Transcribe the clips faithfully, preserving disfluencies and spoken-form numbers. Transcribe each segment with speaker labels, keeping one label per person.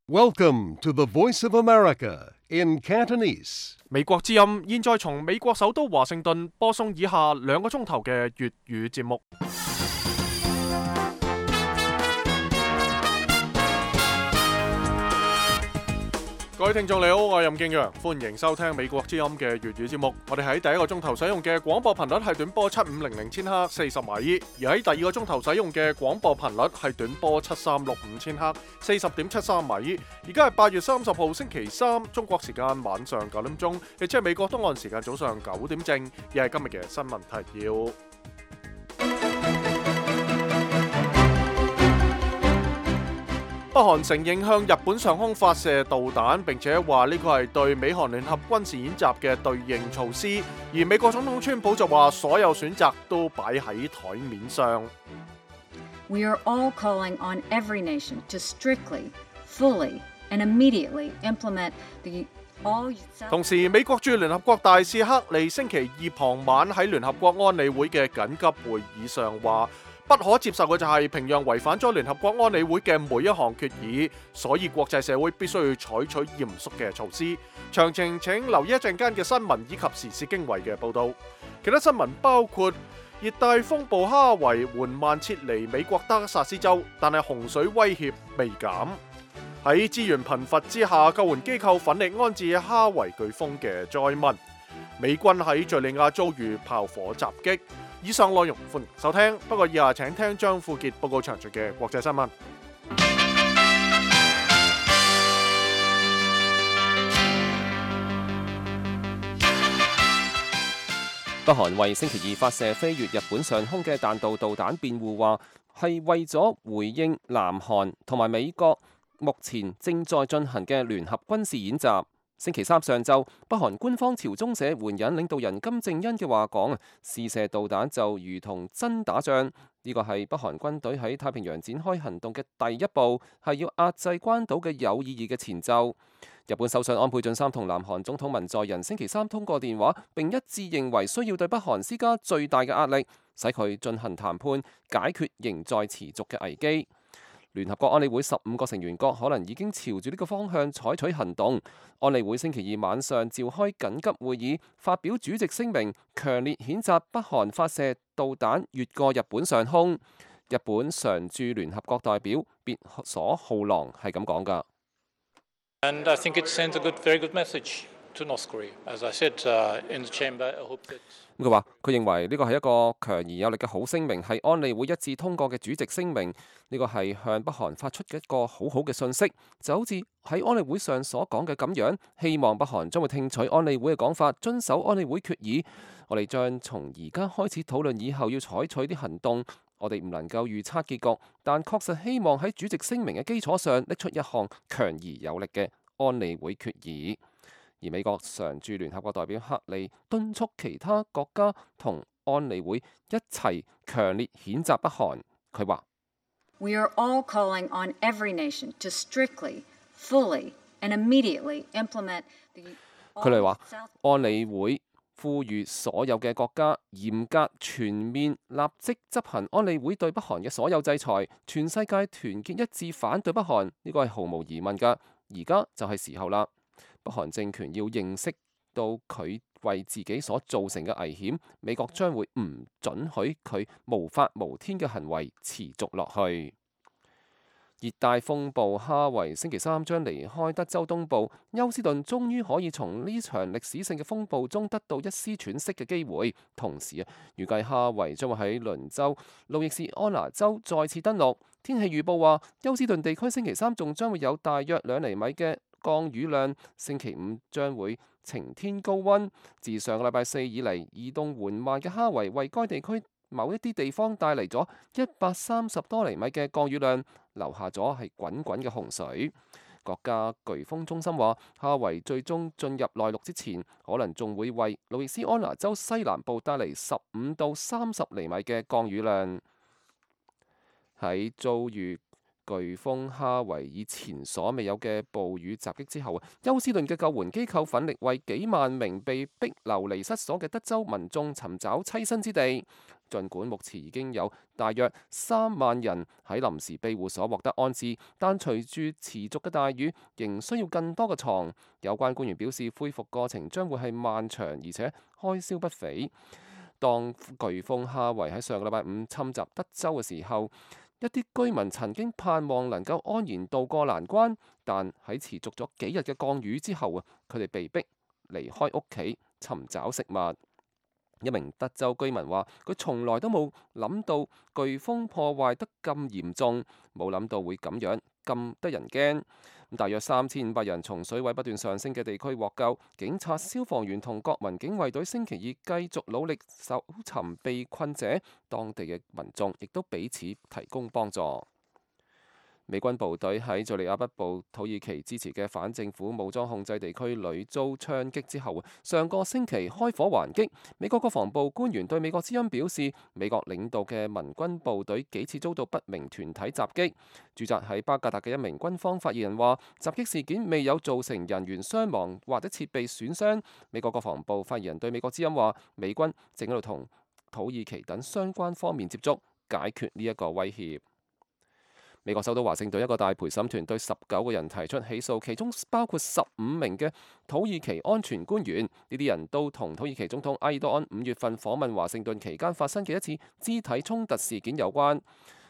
Speaker 1: Welcome to the Voice of America in Cantonese.
Speaker 2: 美國之音現在從美國首都華盛頓播送以下兩個鐘頭嘅粵語節目。各位聽眾你好，我係任敬陽，歡迎收聽美國之音嘅粵語節目。我哋喺第一個鐘頭使用嘅廣播頻率係短波七五零零千赫四十米，而喺第二個鐘頭使用嘅廣播頻率係短波七三六五千赫四十點七三米。而家係八月三十號星期三，中國時間晚上九點鐘，亦即係美國東岸時間早上九點正，亦係今日嘅新聞提要。北韓承認向日本上空發射導彈，並且話呢個係對美韓聯合軍事演習嘅對應措施。而美國總統川普就話所有選擇都擺喺台面上。
Speaker 3: We are all calling on every nation to strictly, fully, and immediately implement the all.
Speaker 2: 同時，美國駐聯合國大使克利星期二傍晚喺聯合國安理會嘅緊急會議上話，不可接受嘅就係平壤違反咗聯合國安理會嘅每一項決議，所以國際社會必須要採取嚴肅嘅措施。詳情請留意一陣間嘅新聞以及時事經緯嘅報導。其他新聞包括熱帶風暴哈維緩慢撤離美國德克薩斯州，但係洪水威脅未減。喺資源貧乏之下，救援機構奮力安置哈維颶風嘅災民。美軍喺敘利亞遭遇炮火襲擊。以上內容歡迎收聽，不過以下請聽張富傑報告詳盡嘅國際新聞。
Speaker 4: 北韓為星期二發射飛越日本上空嘅彈道導彈辯護，話係為咗回應南韓同埋美國目前正在進行嘅聯合軍事演習。星期三上晝，北韓官方朝中社援引領導人金正恩嘅話講，試射導彈就如同真打仗。呢個係北韓軍隊喺太平洋展開行動嘅第一步，係要壓制關島嘅有意義嘅前奏。日本首相安倍晉三同南韓總統文在寅星期三通過電話，並一致認為需要對北韓施加最大嘅壓力，使佢進行談判，解決仍在持續嘅危機。聯合國安理會十五個成員國可能已經朝住呢個方向採取行動。安理會星期二晚上召開緊急會議，發表主席聲明，強烈譴責北韓發射導彈越過日本上空。日本常駐聯合國代表別所浩郎係咁講㗎。
Speaker 5: And I think it sends a good, very good message to North Korea. As I said in the chamber, I hope that.
Speaker 4: 佢話：佢認為呢個係一個強而有力嘅好聲明，係安理會一致通過嘅主席聲明。呢個係向北韓發出嘅一個好好嘅信息，就好似喺安理會上所講嘅咁樣。希望北韓將會聽取安理會嘅講法，遵守安理會決議。我哋將從而家開始討論以後要採取啲行動。我哋唔能夠預測結局，但確實希望喺主席聲明嘅基礎上拎出一項強而有力嘅安理會決議。而美國常駐聯合國代表克利敦促其他國家同安理會一齊強烈譴責北韓。佢話
Speaker 3: We are all calling on every nation to strictly, fully, and immediately implement the.
Speaker 4: 佢哋話安理會呼籲所有嘅國家嚴格全面立即執行安理會對北韓嘅所有制裁，全世界團結一致反對北韓，呢個係毫無疑問㗎。而家就係時候啦。北韓政權要認識到佢為自己所造成嘅危險，美國將會唔准許佢無法無天嘅行為持續落去。熱帶風暴哈維星期三將離開德州東部，休斯頓終於可以從呢場歷史性嘅風暴中得到一絲喘息嘅機會。同時啊，預計哈維將會喺鄰州路易斯安那州再次登陸。天氣預報話，休斯頓地區星期三仲將會有大約兩厘米嘅降雨量，星期五將會晴天高溫。自上個禮拜四以嚟，移動緩慢嘅哈維為該地區某一啲地方帶嚟咗一百三十多厘米嘅降雨量，留下咗係滾滾嘅洪水。國家颶風中心話，哈維最終進入內陸之前，可能仲會為路易斯安那州西南部帶嚟十五到三十厘米嘅降雨量。喺遭遇颶風哈維以前所未有嘅暴雨襲擊之後，休斯頓嘅救援機構奮力為幾萬名被逼流離失所嘅德州民眾尋找棲身之地。儘管目前已經有大約三萬人喺臨時庇護所獲得安置，但隨住持續嘅大雨，仍需要更多嘅床。有關官員表示，恢復過程將會係漫長，而且開銷不菲。當颶風哈維喺上個禮拜五侵襲德州嘅時候，一啲居民曾經盼望能夠安然渡過難關，但喺持續咗幾日嘅降雨之後啊，佢哋被逼離開屋企尋找食物。一名德州居民話：佢從來都冇諗到颶風破壞得咁嚴重，冇諗到會咁樣咁得人驚。大約三千五百人從水位不斷上升嘅地區獲救，警察、消防員同國民警衛隊星期二繼續努力搜尋被困者，當地嘅民眾亦都彼此提供幫助。美軍部隊喺敘利亞北部土耳其支持嘅反政府武裝控制地區屢遭槍擊之後，上個星期開火還擊。美國國防部官員對美國之音表示，美國領導嘅民軍部隊幾次遭到不明團體襲擊。駐紮喺巴格達嘅一名軍方發言人話，襲擊事件未有造成人員傷亡或者設備損傷。美國國防部發言人對美國之音話，美軍正喺度同土耳其等相關方面接觸，解決呢一個威脅。美國首都華盛頓一個大陪審團對十九個人提出起訴，其中包括十五名嘅土耳其安全官員。呢啲人都同土耳其總統埃爾多安五月份訪問華盛頓期間發生嘅一次肢體衝突事件有關。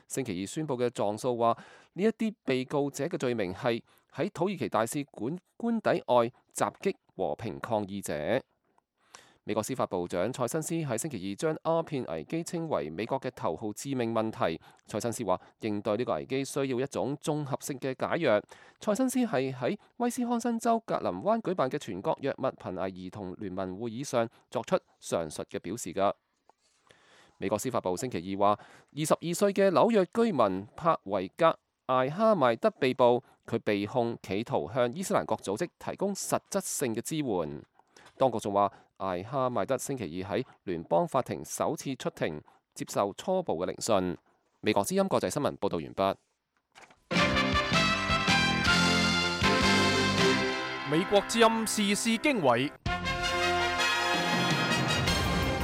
Speaker 4: 星期二宣布嘅狀訴話，呢一啲被告者嘅罪名係喺土耳其大使館官邸外襲擊和平抗議者。美國司法部長塞申斯喺星期二將鴉片危機稱為美國嘅頭號致命問題。塞申斯話，應對呢個危機需要一種綜合性嘅解藥。塞申斯係喺威斯康辛州格林灣舉辦嘅全國藥物瀕危兒童聯盟會議上作出上述嘅表示㗎。美國司法部星期二話，二十二歲嘅紐約居民帕維格艾哈邁德被捕，佢被控企圖向伊斯蘭國組織提供實質性嘅支援。當局仲話，艾哈邁德星期二喺聯邦法庭首次出庭接受初步嘅聆訊。美國之音國際新聞報道完畢。
Speaker 2: 美國之音時事經緯，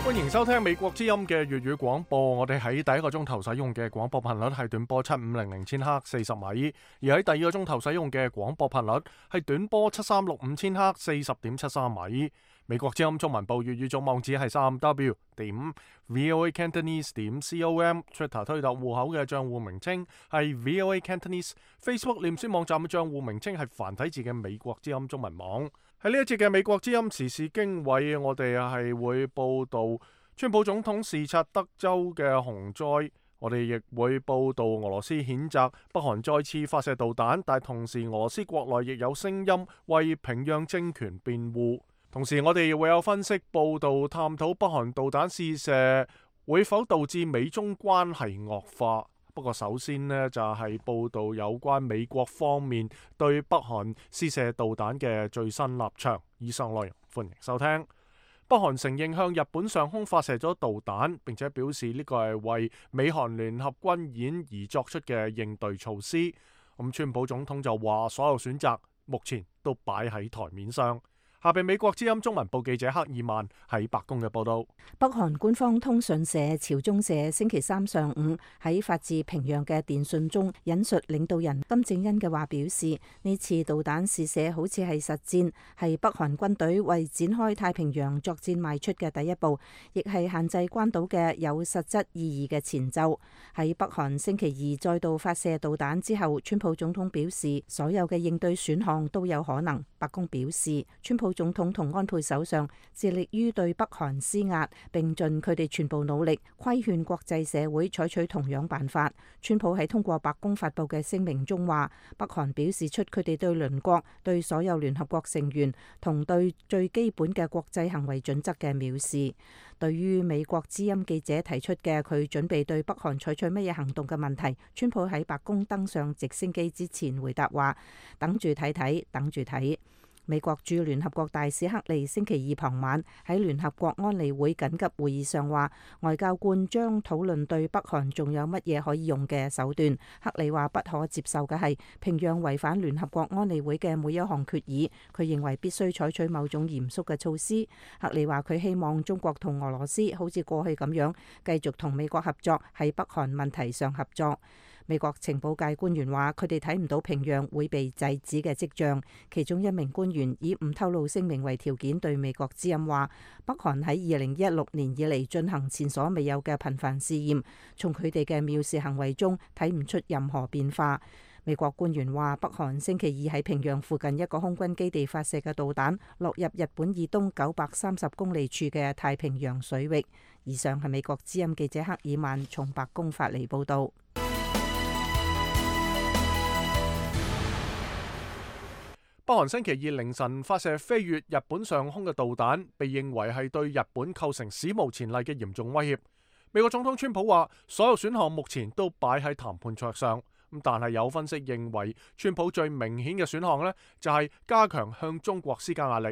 Speaker 2: 歡迎收聽美國之音嘅粵語廣播。我哋喺第一個鐘頭使用嘅廣播頻率係短波七五零零千赫四十米，而喺第二個鐘頭使用嘅廣播頻率係短波七三六五千赫四十點七三米。美國之音中文部粵語總網址係三 w 點 voa cantonese 點 com，Twitter 推特戶口嘅賬戶名稱係 voa cantonese，Facebook 臉書網站嘅賬戶名稱係繁體字嘅美國之音中文網。喺呢一節嘅美國之音時事經緯，我哋係會報道川普總統視察德州嘅洪災，我哋亦會報道俄羅斯譴責北韓再次發射導彈，但同時俄羅斯國內亦有聲音為平壤政權辯護。同時我哋亦會有分析報道，探討北韓導彈試射會否導致美中關係惡化。不過首先呢，就係報道有關美國方面對北韓試射導彈嘅最新立場。以上內容歡迎收聽。北韓承認向日本上空發射咗導彈，並且表示呢個係為美韓聯合軍演而作出嘅應對措施。咁川普總統就話，所有選擇目前都擺喺台面上。下邊美國之音中文部記者克爾曼喺白宮嘅報道。
Speaker 6: 北韓官方通訊社朝中社星期三上午喺發自平壤嘅電訊中引述領導人金正恩嘅話，表示呢次導彈試射好似係實戰，係北韓軍隊為展開太平洋作戰邁出嘅第一步，亦係限制關島嘅有實質意義嘅前奏。喺北韓星期二再度發射導彈之後，川普總統表示所有嘅應對選項都有可能。白宮表示，川普總統同安倍首相致力於對北韓施壓，並盡佢哋全部努力規勸國際社會採取同樣辦法。川普喺通過白宮發布嘅聲明中話，北韓表示出佢哋對鄰國、對所有聯合國成員同對最基本嘅國際行為準則嘅藐視。對於美國之音記者提出嘅佢準備對北韓採取乜嘢行動嘅問題，川普喺白宮登上直升機之前回答話：等住睇睇，等住睇。美國駐聯合國大使克利星期二傍晚喺聯合國安理會緊急會議上話，外交官將討論對北韓仲有乜嘢可以用嘅手段。克利話不可接受嘅係平壤違反聯合國安理會嘅每一項決議，佢認為必須採取某種嚴肅嘅措施。克利話佢希望中國同俄羅斯好似過去咁樣繼續同美國合作，喺北韓問題上合作。美國情報界官員話，佢哋睇唔到平壤會被制止嘅跡象。其中一名官員以唔透露姓名為條件對美國之音話，北韓喺二零一六年以嚟進行前所未有嘅頻繁試驗，從佢哋嘅藐視行為中睇唔出任何變化。美國官員話，北韓星期二喺平壤附近一個空軍基地發射嘅導彈落入日本以東九百三十公里處嘅太平洋水域。以上係美國之音記者克爾曼從白宮發嚟報導。
Speaker 2: 北韓星期二凌晨發射飛越日本上空嘅導彈，被認為係對日本構成史無前例嘅嚴重威脅。美國總統川普話，所有選項目前都擺喺談判桌上。咁但係有分析認為，川普最明顯嘅選項呢，就係加強向中國施加壓力，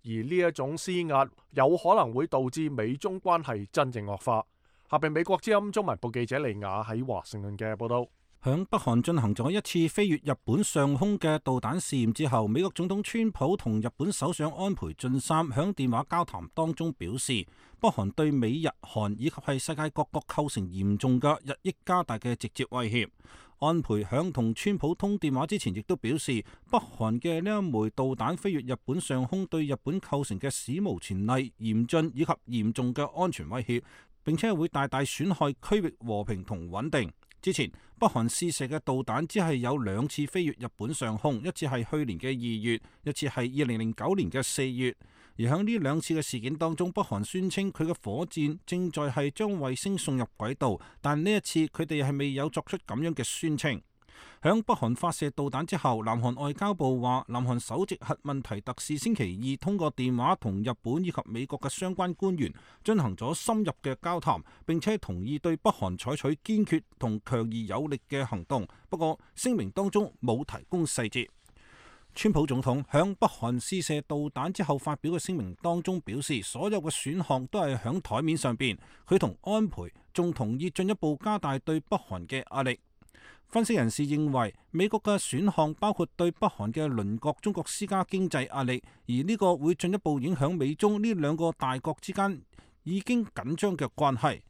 Speaker 2: 而呢一種施壓有可能會導致美中關係真正惡化。下邊美國之音中文部記者利亞喺華盛頓嘅報道。
Speaker 7: 響北韓進行咗一次飛越日本上空嘅導彈試驗之後，美國總統川普同日本首相安倍晉三響電話交談當中表示，北韓對美日韓以及係世界各國構成嚴重嘅日益加大嘅直接威脅。安倍響同川普通電話之前，亦都表示，北韓嘅呢一枚導彈飛越日本上空，對日本構成嘅史無前例、嚴峻以及嚴重嘅安全威脅，並且會大大損害區域和平同穩定。之前北韓試射嘅導彈只係有兩次飛越日本上空，一次係去年嘅二月，一次係二零零九年嘅四月。而喺呢兩次嘅事件當中，北韓宣稱佢嘅火箭正在係將衛星送入軌道，但呢一次佢哋係未有作出咁樣嘅宣稱。響北韓發射導彈之後，南韓外交部話，南韓首席核問題特使星期二通過電話同日本以及美國嘅相關官員進行咗深入嘅交談，並且同意對北韓採取堅決同強而有力嘅行動。不過聲明當中冇提供細節。川普總統響北韓試射導彈之後發表嘅聲明當中表示，所有嘅選項都係響台面上邊，佢同安倍仲同意進一步加大對北韓嘅壓力。分析人士認為，美國嘅選項包括對北韓嘅鄰國中國施加經濟壓力，而呢個會進一步影響美中呢兩個大國之間已經緊張嘅關係。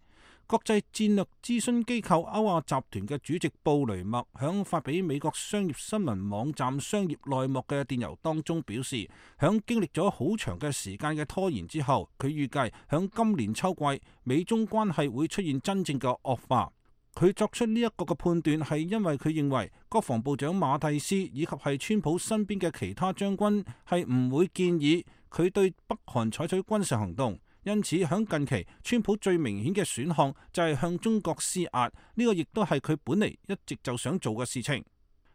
Speaker 7: 國際戰略諮詢機構歐亞集團嘅主席布雷默響發俾美國商業新聞網站商業內幕嘅電郵當中表示，響經歷咗好長嘅時間嘅拖延之後，佢預計響今年秋季美中關係會出現真正嘅惡化。佢作出呢一個嘅判斷係因為佢認為國防部長馬蒂斯以及係川普身邊嘅其他將軍係唔會建議佢對北韓採取軍事行動，因此響近期川普最明顯嘅選項就係向中國施壓，呢個亦都係佢本嚟一直就想做嘅事情。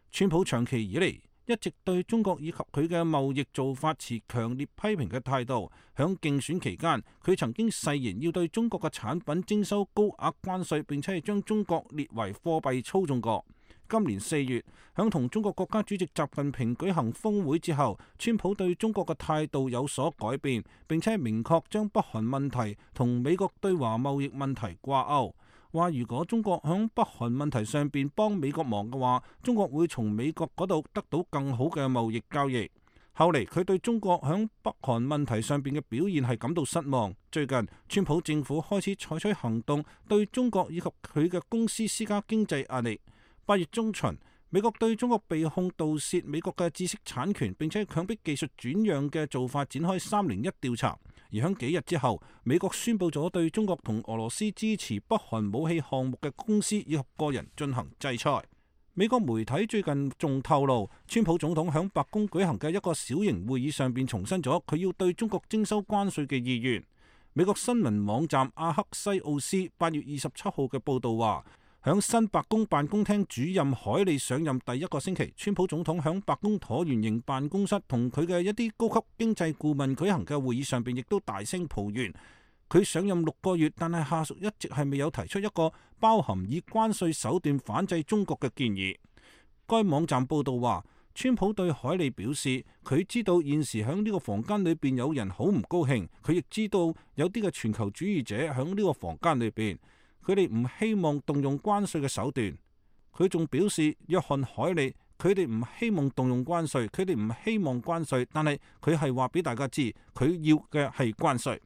Speaker 7: 川普長期以嚟一直對中國以及佢嘅貿易做法持強烈批評嘅態度。響競選期間，佢曾經誓言要對中國嘅產品徵收高額關稅，並且係將中國列為貨幣操縱國。今年四月，響同中國國家主席習近平舉行峰會之後，川普對中國嘅態度有所改變，並且明確將北韓問題同美國對華貿易問題掛鈎。話如果中國響北韓問題上邊幫美國忙嘅話，中國會從美國嗰度得到更好嘅貿易交易。後嚟佢對中國響北韓問題上邊嘅表現係感到失望。最近川普政府開始採取行動，對中國以及佢嘅公司施加經濟壓力。八月中旬，美國對中國被控盜竊美國嘅知識產權，並且強迫技術轉讓嘅做法展開三零一調查。而響幾日之後，美國宣布咗對中國同俄羅斯支持北韓武器項目嘅公司以及個人進行制裁。美國媒體最近仲透露，川普總統響白宮舉行嘅一個小型會議上邊重申咗佢要對中國徵收關稅嘅意願。美國新聞網站阿克西奧斯八月二十七號嘅報道話，響新白宮辦公廳主任海利上任第一個星期，川普總統響白宮橢圓形辦公室同佢嘅一啲高級經濟顧問舉行嘅會議上邊，亦都大聲抱怨佢上任六個月，但係下屬一直係未有提出一個包含以關稅手段反制中國嘅建議。該網站報道話，川普對海利表示，佢知道現時喺呢個房間裏邊有人好唔高興，佢亦知道有啲嘅全球主義者喺呢個房間裏邊，佢哋唔希望動用關稅嘅手段。佢仲表示，約翰海利佢哋唔希望動用關稅，佢哋唔希望關稅，但係佢係話俾大家知，佢要嘅係關稅。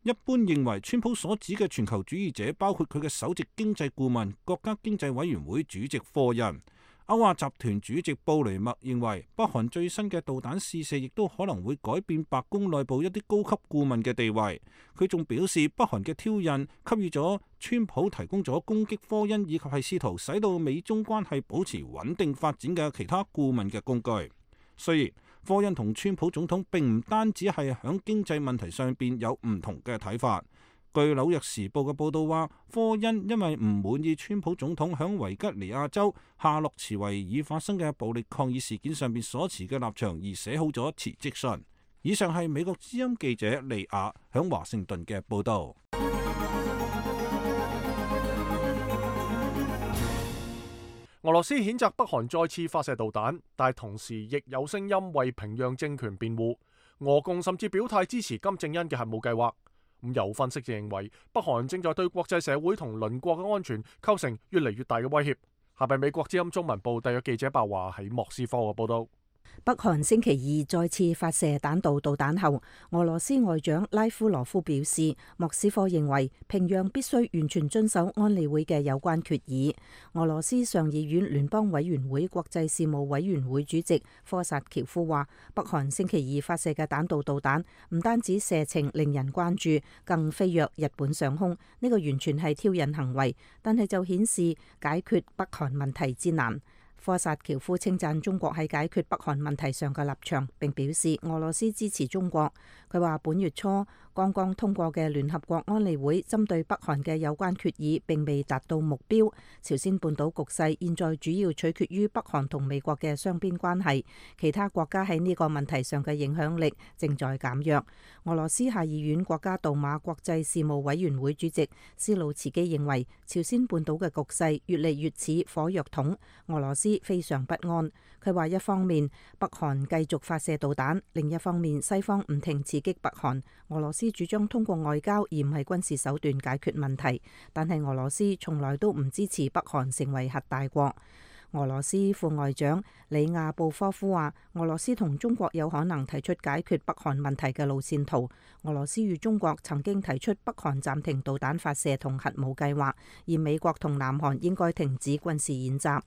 Speaker 7: 一般認為，川普所指嘅全球主義者包括佢嘅首席經濟顧問、國家經濟委員會主席科恩。歐亞集團主席布雷默認為，北韓最新嘅導彈試射亦都可能會改變白宮內部一啲高級顧問嘅地位。佢仲表示，北韓嘅挑釁給予咗川普提供咗攻擊科恩以及係試圖使到美中關係保持穩定發展嘅其他顧問嘅工具。雖然科恩同川普總統並唔單止係喺經濟問題上邊有唔同嘅睇法。據紐約時報嘅報道話，科恩因為唔滿意川普總統喺維吉尼亞州夏洛茨維爾發生嘅暴力抗議事件上邊所持嘅立場而寫好咗辭職信。以上係美國之音記者利亞喺華盛頓嘅報道。
Speaker 2: 俄羅斯譴責北韓再次發射導彈，但係同時亦有聲音為平壤政權辯護。俄共甚至表態支持金正恩嘅核武計劃。咁有分析就認為，北韓正在對國際社會同鄰國嘅安全構成越嚟越大嘅威脅。下邊美國之音中文部特約記者白華喺莫斯科嘅報道。
Speaker 6: 北韓星期二再次發射彈道導彈後，俄羅斯外長拉夫羅夫表示，莫斯科認為平壤必須完全遵守安理會嘅有關決議。俄羅斯上議院聯邦委員會國際事務委員會主席科薩喬夫話，北韓星期二發射嘅彈道導彈唔單止射程令人關注，更飛越日本上空，呢個完全係挑釁行為，但係就顯示解決北韓問題之難。科薩喬夫稱讚中國喺解決北韓問題上嘅立場，並表示俄羅斯支持中國。佢話本月初剛剛通過嘅聯合國安理會針對北韓嘅有關決議並未達到目標。朝鮮半島局勢現在主要取決於北韓同美國嘅雙邊關係，其他國家喺呢個問題上嘅影響力正在減弱。俄羅斯下議院國家杜馬國際事務委員會主席斯魯茨基認為，朝鮮半島嘅局勢越嚟越似火藥桶，俄羅斯非常不安。佢話一方面北韓繼續發射導彈，另一方面西方唔停刺激北韓。俄羅斯主張通過外交而唔係軍事手段解決問題，但係俄羅斯從來都唔支持北韓成為核大國。俄羅斯副外長里亞布科夫話，俄羅斯同中國有可能提出解決北韓問題嘅路線圖。俄羅斯與中國曾經提出北韓暫停導彈發射同核武計劃，而美國同南韓應該停止軍事演習。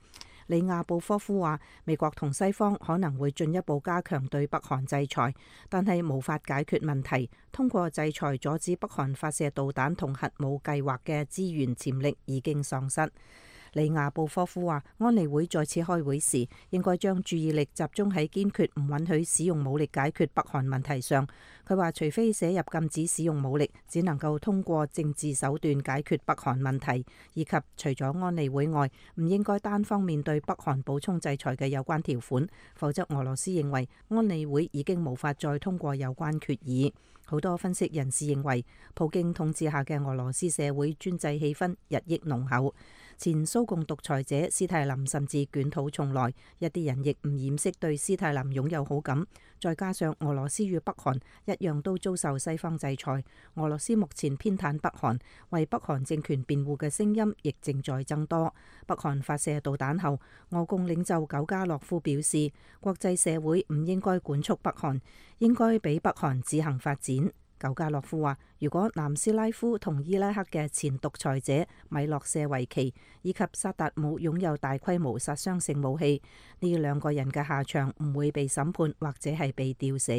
Speaker 6: 里亞布科夫話，美國同西方可能會進一步加強對北韓制裁，但係無法解決問題。通過制裁阻止北韓發射導彈同核武計劃嘅資源潛力已經喪失。里亞布科夫話，安理會再次開會時，應該將注意力集中喺堅決唔允許使用武力解決北韓問題上。佢話，除非寫入禁止使用武力，只能夠通過政治手段解決北韓問題，以及除咗安理會外，唔應該單方面對北韓補充制裁嘅有關條款，否則俄羅斯認為安理會已經無法再通過有關決議。好多分析人士認為，普京統治下嘅俄羅斯社會專制氣氛日益濃厚。前蘇共獨裁者斯泰林甚至捲土重來，一啲人亦唔掩飾對斯泰林擁有好感。再加上俄羅斯與北韓一樣都遭受西方制裁，俄羅斯目前偏袒北韓，為北韓政權辯護嘅聲音亦正在增多。北韓發射導彈後，俄共領袖久加諾夫表示，國際社會唔應該管束北韓，應該俾北韓自行發展。久加諾夫話，如果南斯拉夫同伊拉克嘅前獨裁者米洛舍維奇以及薩達姆擁有大規模殺傷性武器，呢兩個人嘅下場唔會被審判或者係被吊死。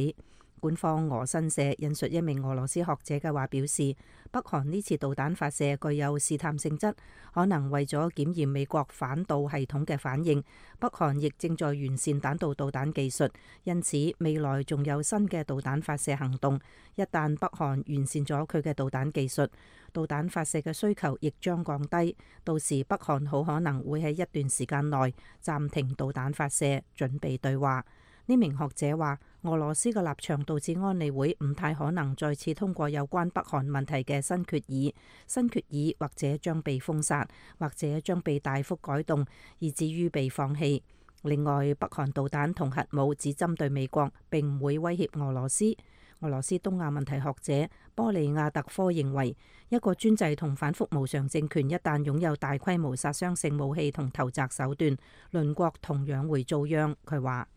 Speaker 6: 官方俄新社引述一名俄羅斯學者嘅話表示，北韓呢次導彈發射具有試探性質，可能為咗檢驗美國反導系統嘅反應。北韓亦正在完善彈道導彈技術，因此未來仲有新嘅導彈發射行動。一旦北韓完善咗佢嘅導彈技術，導彈發射嘅需求亦將降低，到時北韓好可能會喺一段時間內暫停導彈發射，準備對話。呢名學者話，俄羅斯嘅立場導致安理會唔太可能再次通過有關北韓問題嘅新決議，新決議或者將被封殺，或者將被大幅改動，以至於被放棄。另外，北韓導彈同核武只針對美國，並唔會威脅俄羅斯。俄羅斯東亞問題學者波利亞特科認為，一個專制同反覆無常政權一旦擁有大規模殺傷性武器同投擲手段，鄰國同樣會遭殃。佢話：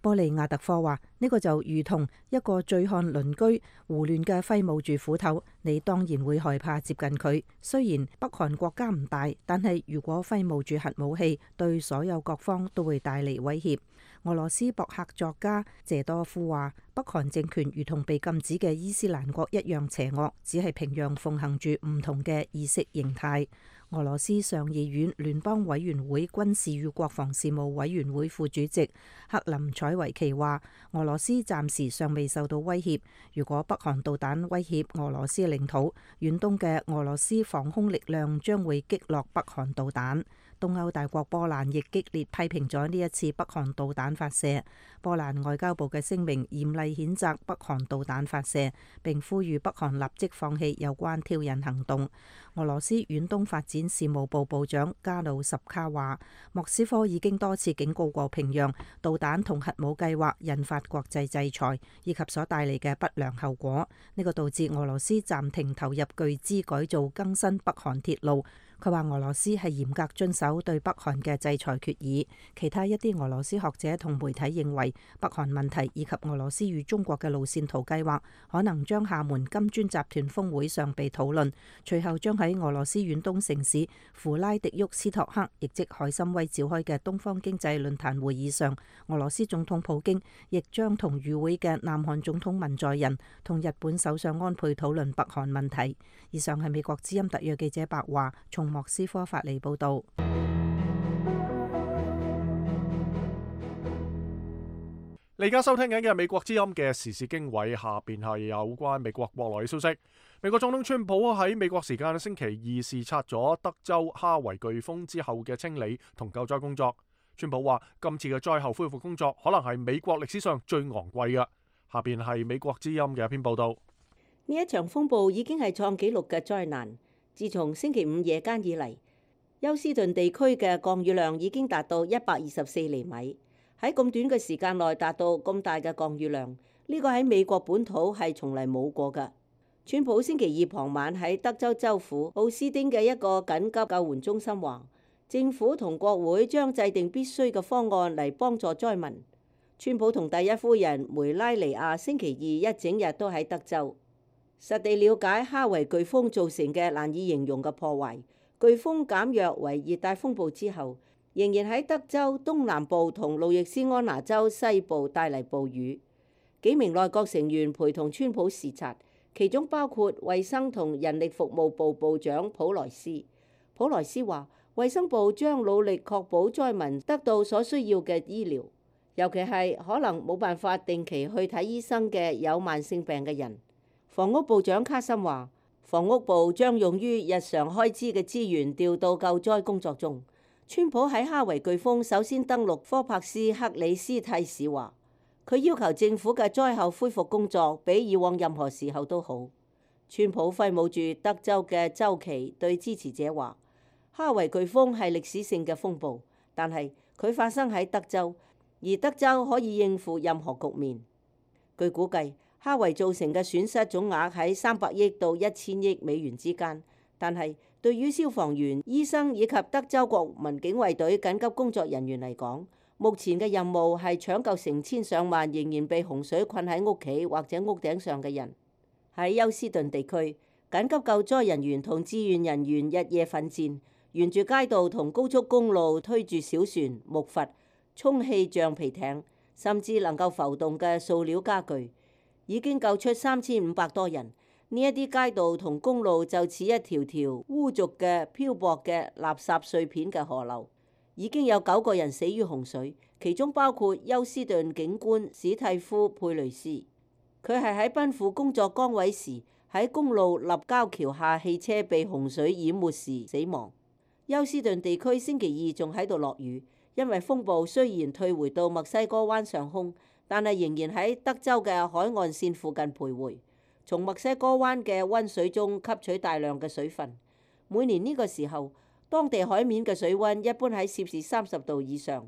Speaker 6: 波利亞特科話：呢個就如同一個醉漢鄰居胡亂嘅揮舞住斧頭，你當然會害怕接近佢。雖然北韓國家唔大，但係如果揮舞住核武器，對所有各方都會帶嚟威脅。俄羅斯博客作家謝多夫話：北韓政權如同被禁止嘅伊斯蘭國一樣邪惡，只係平壤奉行住唔同嘅意識形態。俄羅斯上議院聯邦委員會軍事與國防事務委員會副主席克林采維奇話：俄羅斯暫時尚未受到威脅。如果北韓導彈威脅俄羅斯領土，遠東嘅俄羅斯防空力量將會擊落北韓導彈。東歐大國波蘭亦激烈批評咗呢一次北韓導彈發射。波蘭外交部嘅聲明嚴厲譴責北韓導彈發射，並呼籲北韓立即放棄有關挑釁行動。俄羅斯遠東發展事務部部長加魯什卡話：莫斯科已經多次警告過平壤，導彈同核武計劃引發國際制裁，以及所帶嚟嘅不良後果。呢個導致俄羅斯暫停投入巨資改造更新北韓鐵路。佢話俄羅斯係嚴格遵守對北韓嘅制裁決議。其他一啲俄羅斯學者同媒體認為，北韓問題以及俄羅斯與中國嘅路線圖計劃可能將廈門金磚集團峰會上被討論，隨後將喺俄羅斯遠東城市弗拉迪沃斯托克，亦即海參崴召開嘅東方經濟論壇會議上，俄羅斯總統普京亦將同與會嘅南韓總統文在寅同日本首相安倍討論北韓問題。以上係美國之音特約記者白華從莫斯科發嚟報道。
Speaker 2: 你而家收聽緊嘅係美國之音嘅時事經緯，下邊係有關美國國內嘅消息。美國總統川普喺美國時間星期二視察咗德州哈維颶風之後嘅清理同救災工作。川普話今次嘅災後恢復工作可能係美國歷史上最昂貴嘅。下邊係美國之音嘅一篇報道。
Speaker 8: 呢一場風暴已經係創紀錄嘅災難。自從星期五夜間以嚟，休斯頓地區嘅降雨量已經達到一百二十四厘米。喺咁短嘅時間內達到咁大嘅降雨量，呢個喺美國本土係從嚟冇過㗎。川普星期二傍晚喺德州州府奧斯丁嘅一個緊急救援中心話，政府同國會將制定必須嘅方案嚟幫助災民。川普同第一夫人梅拉尼亞星期二一整日都喺德州，實地了解哈維颶風造成嘅難以形容嘅破壞。颶風減弱為熱帶風暴之後，仍然喺德州東南部同路易斯安那州西部帶嚟暴雨。幾名內閣成員陪同川普視察，其中包括衛生同人力服務部部長普萊斯。普萊斯話，衛生部將努力確保災民得到所需要嘅醫療，尤其係可能冇辦法定期去睇醫生嘅有慢性病嘅人。房屋部長卡森話，房屋部將用於日常開支嘅資源調到救災工作中。川普喺哈維颶風首先登陸科柏斯克里斯蒂市話，佢要求政府嘅災後恢復工作比以往任何時候都好。川普揮舞住德州嘅州旗，對支持者話，哈維颶風係歷史性嘅風暴，但係佢發生喺德州，而德州可以應付任何局面。據估計，哈維造成嘅損失總額喺三百億到一千億美元之間，但係對於消防員、醫生以及德州國民警衛隊緊急工作人員嚟講，目前嘅任務係搶救成千上萬仍然被洪水困喺屋企或者屋頂上嘅人。喺休斯頓地區，緊急救災人員同志願人員日夜奮戰，沿住街道同高速公路推住小船、木筏、充氣橡皮艇，甚至能夠浮動嘅塑料家具，已經救出三千五百多人。呢一啲街道同公路就似一條條污濁嘅漂泊嘅垃圾碎片嘅河流。已經有九個人死於洪水，其中包括休斯頓警官史蒂夫佩雷斯。佢係喺奔赴工作崗位時，喺公路立交橋下汽車被洪水淹沒時死亡。休斯頓地區星期二仲喺度落雨，因為風暴雖然退回到墨西哥灣上空，但係仍然喺德州嘅海岸線附近徘徊。從墨西哥灣嘅溫水中吸取大量嘅水分。每年呢個時候，當地海面嘅水溫一般喺攝氏三十度以上。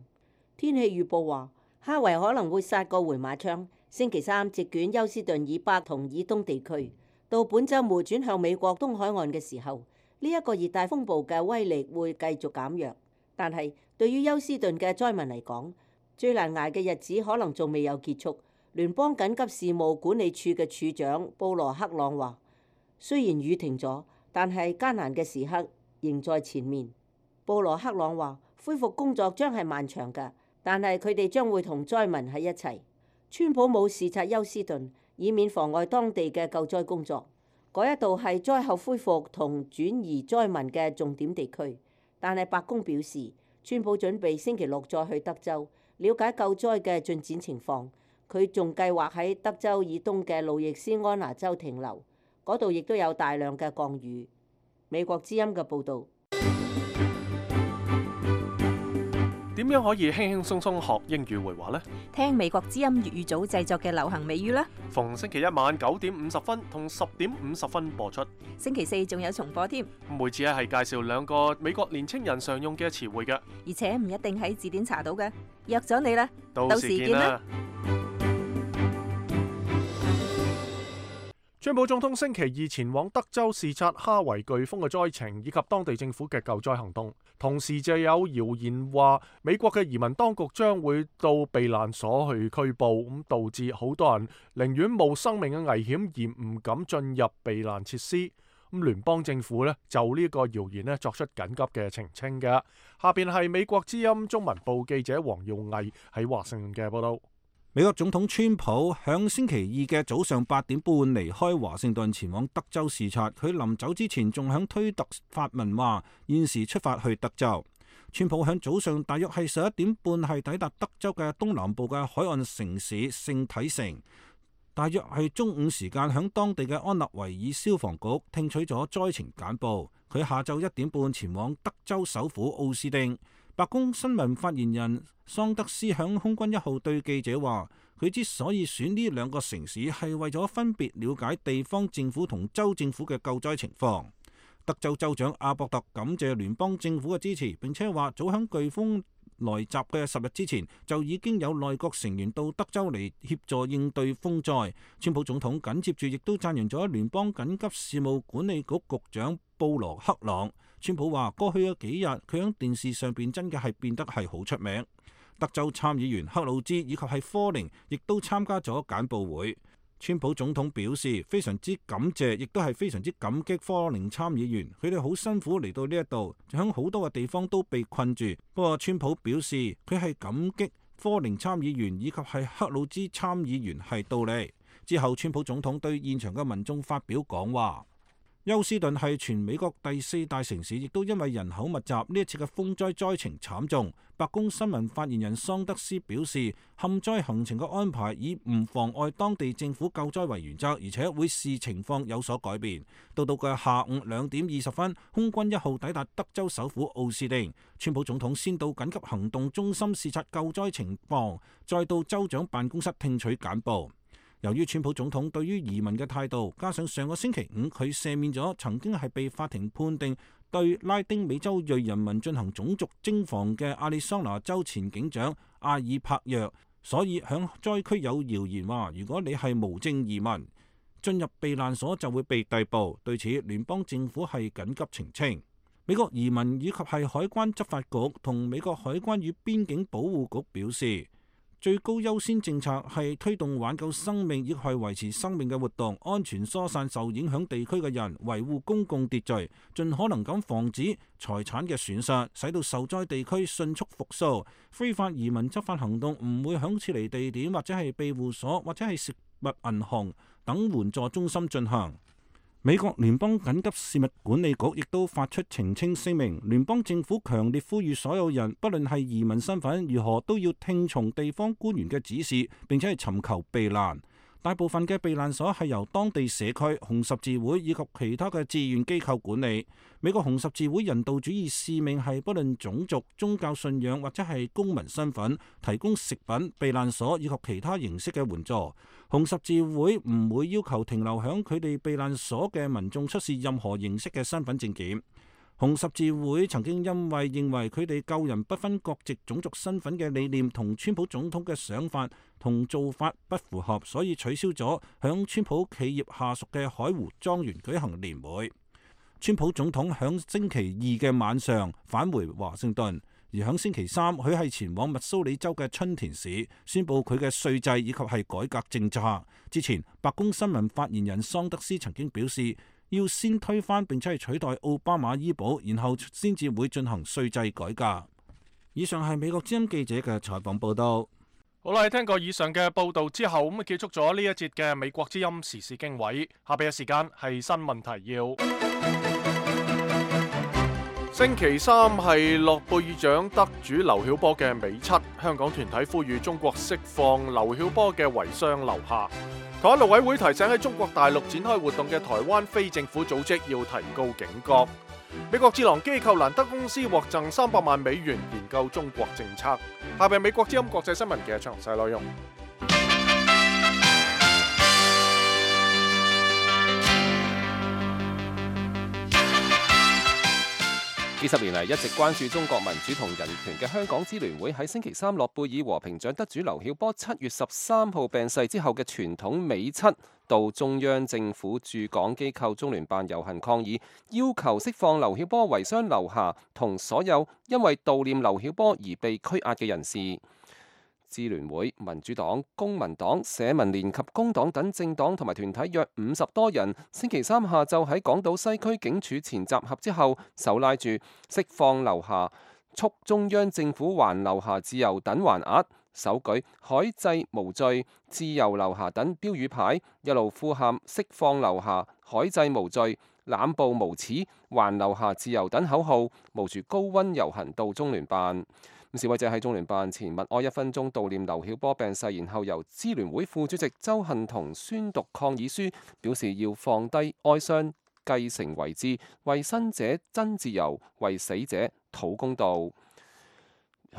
Speaker 8: 天氣預報話，哈維可能會殺個回馬槍，星期三席捲休斯頓以北同以東地區。到本週末轉向美國東海岸嘅時候，呢一個熱帶風暴嘅威力會繼續減弱。但係對於休斯頓嘅災民嚟講，最難捱嘅日子可能仲未有結束。聯邦緊急事務管理處嘅處長布羅克朗話：雖然雨停咗，但係艱難嘅時刻仍在前面。布羅克朗話：恢復工作將係漫長㗎，但係佢哋將會同災民喺一齊。川普冇視察休斯頓，以免妨礙當地嘅救災工作。嗰一度係災後恢復同轉移災民嘅重點地區。但係白宮表示，川普準備星期六再去德州了解救災嘅進展情況。佢仲計劃喺德州以東嘅路易斯安那州停留，嗰度亦都有大量嘅降雨。美國之音嘅報導。
Speaker 2: 點樣可以輕輕鬆鬆學英語會話呢？
Speaker 6: 聽美國之音粵語組製作嘅流行美語啦。
Speaker 2: 逢星期一晚九點五十分同十點五十分播出。
Speaker 6: 星期四仲有重播添。
Speaker 2: 每次咧係介紹兩個美國年青人常用嘅詞彙嘅，
Speaker 6: 而且唔一定喺字典查到嘅。約咗你啦，
Speaker 2: 到時見啦。川普總統星期二前往德州視察哈維颶風嘅災情以及當地政府嘅救災行動，同時就有謠言話美國嘅移民當局將會到避難所去拘捕，咁導致好多人寧願冒生命嘅危險而唔敢進入避難設施。咁聯邦政府咧就呢個謠言咧作出緊急嘅澄清嘅。下邊係美國之音中文部記者黃耀毅喺華盛頓嘅報道。
Speaker 7: 美國總統川普響星期二嘅早上八點半離開華盛頓前往德州視察，佢臨走之前仲響推特發文話現時出發去德州。川普響早上大約係十一點半係抵達德州嘅東南部嘅海岸城市聖體城，大約係中午時間響當地嘅安納維爾消防局聽取咗災情簡報。佢下晝一點半前往德州首府奧斯汀。白宮新聞發言人桑德斯響空軍一號對記者話，佢之所以選呢兩個城市係為咗分別了解地方政府同州政府嘅救災情況。德州州長阿伯特感謝聯邦政府嘅支持，並且話早響颶風來襲嘅十日之前就已經有內閣成員到德州嚟協助應對風災。川普總統緊接住亦都讚揚咗聯邦緊急事務管理局局長布羅克朗。川普話過去嘅幾日佢喺電視上邊真嘅係變得係好出名。德州參議員克魯茲以及係科寧亦都參加咗簡報會。川普總統表示非常之感謝，亦都係非常之感激科寧參議員，佢哋好辛苦嚟到呢一度，響好多嘅地方都被困住。不過川普表示佢係感激科寧參議員以及係克魯茲參議員係到嚟。之後川普總統對現場嘅民眾發表講話。休斯頓係全美國第四大城市，亦都因為人口密集，呢一次嘅風災災情慘重。白宮新聞發言人桑德斯表示，陷災行程嘅安排以唔妨礙當地政府救災為原則，而且會視情況有所改變。到到嘅下午兩點二十分，空軍一號抵達德州首府奧斯汀。川普總統先到緊急行動中心視察救災情況，再到州長辦公室聽取簡報。由於川普總統對於移民嘅態度，加上上個星期五佢赦免咗曾經係被法庭判定對拉丁美洲裔人民進行種族徵防嘅亞利桑那州前警長阿爾帕約，所以響災區有謠言話，如果你係無證移民進入避難所就會被逮捕。對此，聯邦政府係緊急澄清。美國移民以及係海關執法局同美國海關與邊境保護局表示，最高優先政策係推動挽救生命，亦係維持生命嘅活動，安全疏散受影響地區嘅人，維護公共秩序，盡可能咁防止財產嘅損失，使到受災地區迅速復甦。非法移民執法行動唔會響撤離地點或者係庇護所或者係食物銀行等援助中心進行。美國聯邦緊急事務管理局亦都發出澄清聲明，聯邦政府強烈呼籲所有人，不論係移民身份如何，都要聽從地方官員嘅指示，並且係尋求避難。大部分嘅避難所係由當地社區、紅十字會以及其他嘅志願機構管理。美國紅十字會人道主義使命係不論種族、宗教信仰或者係公民身份，提供食品、避難所以及其他形式嘅援助。紅十字會唔會要求停留響佢哋避難所嘅民眾出示任何形式嘅身份證件。紅十字會曾經因為認為佢哋救人不分國籍、種族身份嘅理念同川普總統嘅想法同做法不符合，所以取消咗響川普企業下屬嘅海湖莊園舉行年會。川普總統響星期二嘅晚上返回華盛頓，而響星期三佢係前往密蘇里州嘅春田市宣佈佢嘅稅制以及係改革政策。之前白宮新聞發言人桑德斯曾經表示，要先推翻並且係取代奧巴馬醫保，然後先至會進行稅制改革。以上係美國之音記者嘅採訪報道。
Speaker 2: 好啦，聽過以上嘅報道之後，咁啊結束咗呢一節嘅美國之音時事經緯。下邊嘅時間係新聞提要。星期三係諾貝爾獎得主劉曉波嘅尾七，香港團體呼籲中國釋放劉曉波嘅遺孀劉霞。台灣陸委會提醒喺中國大陸展開活動嘅台灣非政府組織要提高警覺。美國智囊機構蘭德公司獲贈三百萬美元研究中國政策。下邊美國之音國際新聞嘅詳細內容。
Speaker 4: 幾十年嚟一直關注中國民主同人權嘅香港支聯會喺星期三諾貝爾和平獎得主劉曉波七月十三號病逝之後嘅傳統尾七，到中央政府駐港機構中聯辦遊行抗議，要求釋放劉曉波遺孀劉霞同所有因為悼念劉曉波而被拘押嘅人士。支聯會、民主黨、公民黨、社民連及工黨等政黨同埋團體約五十多人，星期三下晝喺港島西區警署前集合之後，手拉住釋放劉霞、促中央政府還劉霞自由等橫額，手舉海祭無罪、自由劉霞等標語牌，一路呼喊釋放劉霞、海祭無罪、濫暴無恥、還劉霞自由等口號，冒住高溫遊行到中聯辦。示威者喺中聯辦前默哀一分鐘悼念劉曉波病逝，然後由支聯會副主席鄒幸彤宣讀抗議書，表示要放低哀傷，繼承遺志，為生者爭自由，為死者討公道。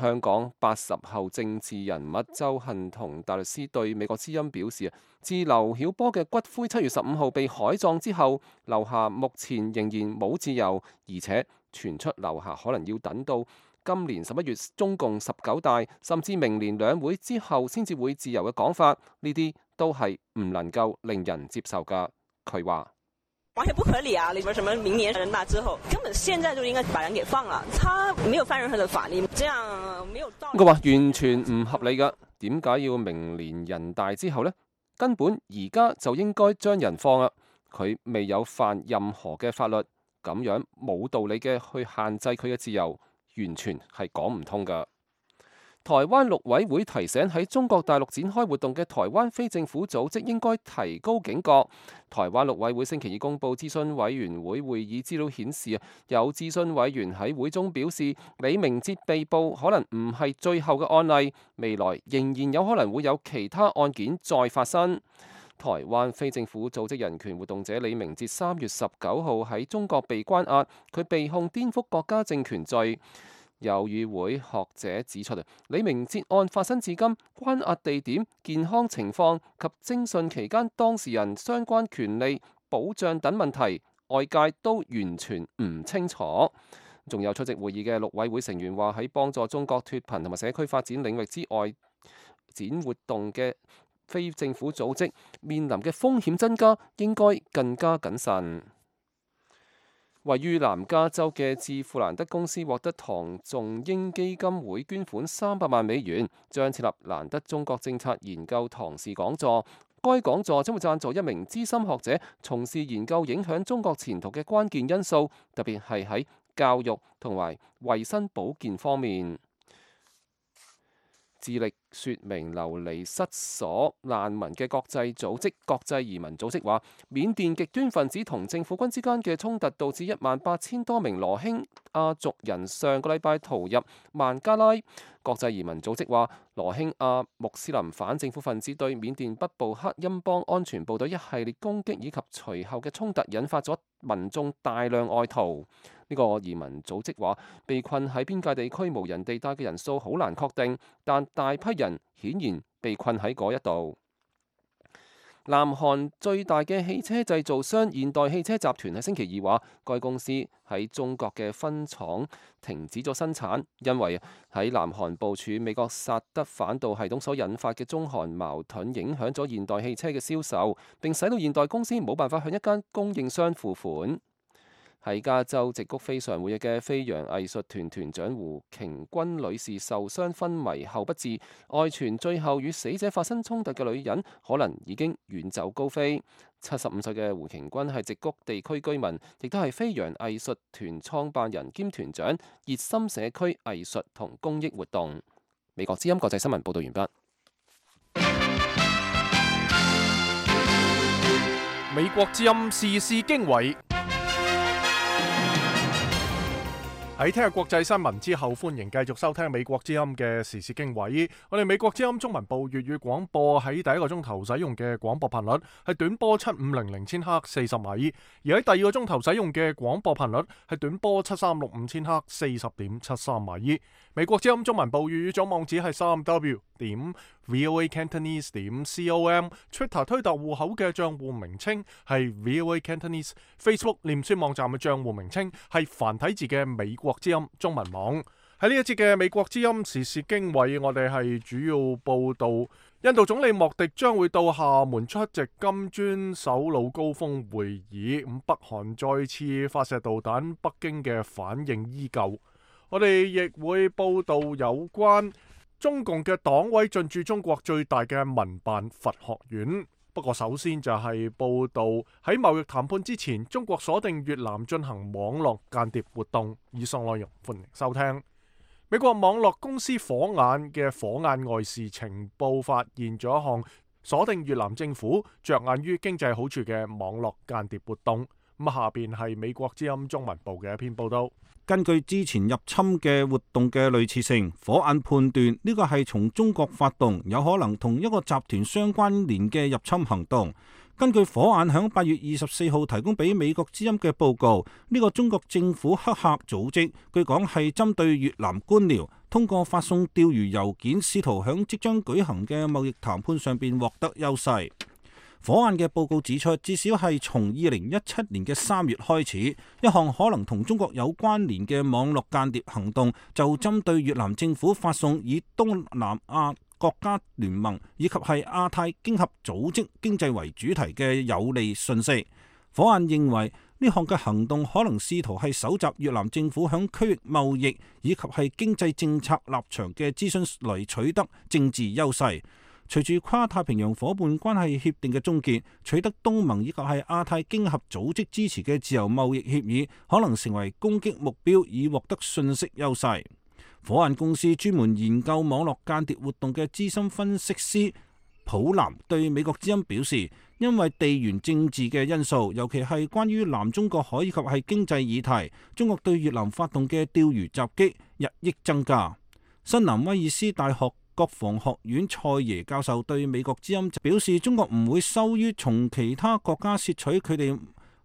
Speaker 4: 香港八十後政治人物鄒幸彤大律師對美國之音表示，自劉曉波嘅骨灰七月十五號被海葬之後，劉霞目前仍然冇自由，而且傳出劉霞可能要等到今年十一月中共十九大，甚至明年兩會之後先至會自由嘅講法，呢啲都係唔能夠令人接受㗎。佢話：
Speaker 9: 完全不合理啊！你說什麼明年人大之後，根本現在就應該把人給放了，他沒有犯任何的法律，這樣沒有道理。
Speaker 4: 佢話完全唔合理㗎，點解要明年人大之後呢？根本而家就應該將人放啦，佢未有犯任何嘅法律，咁樣冇道理嘅去限制佢嘅自由。完全係講唔通㗎。台灣陸委會提醒喺中國大陸展開活動嘅台灣非政府組織應該提高警覺。台灣陸委會星期二公佈諮詢委員會會議資料顯示，有諮詢委員喺會中表示，李明哲被捕可能唔係最後嘅案例，未來仍然有可能會有其他案件再發生。台灣非政府組織人權活動者李明哲三月十九號喺中國被關押，佢被控顛覆國家政權罪。有與會學者指出，李明哲案發生至今，關押地點、健康情況及偵訊期間當事人相關權利保障等問題，外界都完全唔清楚。仲有出席會議嘅陸委會成員話，喺幫助中國脫貧同埋社區發展領域之外展活動嘅非政府組織面臨嘅風險增加，應該更加謹慎。位於南加州嘅智富蘭德公司獲得唐仲英基金會捐款三百萬美元，將設立蘭德中國政策研究唐氏講座。該講座將會贊助一名資深學者，從事研究影響中國前途嘅關鍵因素，特別係喺教育同埋衛生保健方面。致力説明流離失所難民嘅國際組織國際移民組織話，緬甸極端分子同政府軍之間嘅衝突導致一萬八千多名羅興亞族人上個禮拜逃入孟加拉。國際移民組織話，羅興亞穆斯林反政府分子對緬甸北部克欽邦安全部隊一系列攻擊以及隨後嘅衝突，引發咗民眾大量外逃。呢個移民組織話，被困喺邊界地區無人地帶嘅人數好難確定，但大批人顯然被困喺嗰一度。南韓最大嘅汽車製造商現代汽車集團喺星期二話，該公司喺中國嘅分廠停止咗生產，因為喺南韓部署美國薩德反導系統所引發嘅中韓矛盾影響咗現代汽車嘅銷售，並使到現代公司冇辦法向一間供應商付款。喺加州矽谷非常活躍嘅飛揚藝術團團長胡瓊君女士受傷昏迷後不治，外傳最後與死者發生衝突嘅女人可能已經遠走高飛。七十五歲嘅胡瓊君係矽谷地區居民，亦都係飛揚藝術團創辦人兼團長，熱心社區藝術同公益活動。美國之音國際新聞報道完畢。
Speaker 2: 美國之音時事經緯。喺聽日國際新聞之後，歡迎繼續收聽美國之音嘅時事經緯。我哋美國之音中文部粵語廣播喺第一個鐘頭使用嘅廣播頻率係短波七五零零千赫四十米，而喺第二個鐘頭使用嘅廣播頻率係短波七三六五千赫四十點七三米。美國之音中文部粵語總網址係三 w 點 voa cantonese 點 com，Twitter 推特戶口嘅賬戶名稱係 voa cantonese，Facebook 臉書網站嘅賬戶名稱係繁體字嘅美國之音中文網。喺呢一節嘅美國之音時事經緯，我哋係主要報道印度總理莫迪將會到廈門出席金磚首腦高峰會議，咁北韓再次發射導彈，北京嘅反應依舊。我哋亦會報道有關中共嘅黨委進駐中國最大嘅民辦佛學院。不過首先就係報道喺貿易談判之前，中國鎖定越南進行網絡間諜活動。以上內容歡迎收聽。美國網絡公司火眼嘅火眼外事情報發現咗一項鎖定越南政府着眼於經濟好處嘅網絡間諜活動。咁下邊係美國之音中文部嘅一篇報道。
Speaker 7: 根據之前入侵嘅活動嘅類似性，火眼判斷呢個係從中國發動，有可能同一個集團相關聯嘅入侵行動。根據火眼響八月二十四號提供俾美國之音嘅報告，呢個中國政府黑客組織據講係針對越南官僚，通過發送釣魚郵件，試圖響即將舉行嘅貿易談判上邊獲得優勢。火眼嘅報告指出，至少係從二零一七年嘅三月開始，一項可能同中國有關聯嘅網絡間諜行動，就針對越南政府發送以東南亞國家聯盟以及係亞太經合組織經濟為主題嘅有利信息。火眼認為呢項嘅行動可能試圖係搜集越南政府響區域貿易以及係經濟政策立場嘅資訊嚟取得政治優勢。隨住跨太平洋夥伴關係協定嘅終結，取得東盟以及係亞太經合組織支持嘅自由貿易協議可能成為攻擊目標，以獲得信息優勢。火眼公司專門研究網絡間諜活動嘅資深分析師普南對美國之音表示，因為地緣政治嘅因素，尤其係關於南中國海以及係經濟議題，中國對越南發動嘅釣魚襲擊日益增加。新南威爾斯大學國防學院蔡耶教授對美國之音表示，中國唔會羞於從其他國家竊取佢哋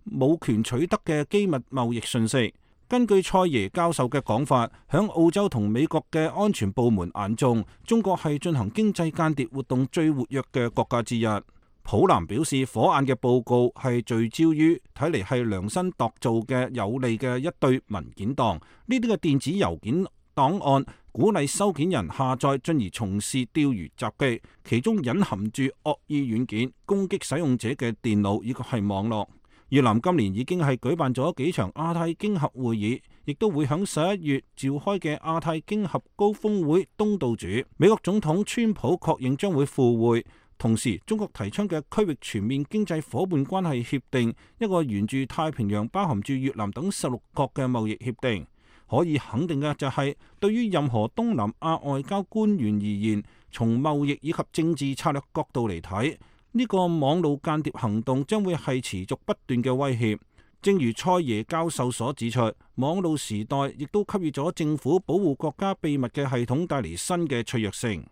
Speaker 7: 冇權取得嘅機密貿易信息。根據蔡耶教授嘅講法，響澳洲同美國嘅安全部門眼中，中國係進行經濟間諜活動最活躍嘅國家之一。普南表示，火眼嘅報告係聚焦於睇嚟係量身度造嘅有利嘅一堆文件檔，呢啲嘅電子郵件檔案鼓勵收件人下載，進而從事釣魚襲擊，其中隱含住惡意軟件，攻擊使用者嘅電腦以及係網絡。越南今年已經係舉辦咗幾場亞太經合會議，亦都會響十一月召開嘅亞太經合高峰會東道主。美國總統川普確認將會赴會。同時，中國提倡嘅區域全面經濟夥伴關係協定，一個沿住太平洋包含住越南等十六國嘅貿易協定，可以肯定嘅就係，對於任何東南亞外交官員而言，從貿易以及政治策略角度嚟睇，呢個網路間諜行動將會係持續不斷嘅威脅。正如蔡耶教授所指出，網路時代亦都給予咗政府保護國家秘密嘅系統帶嚟新嘅脆弱性。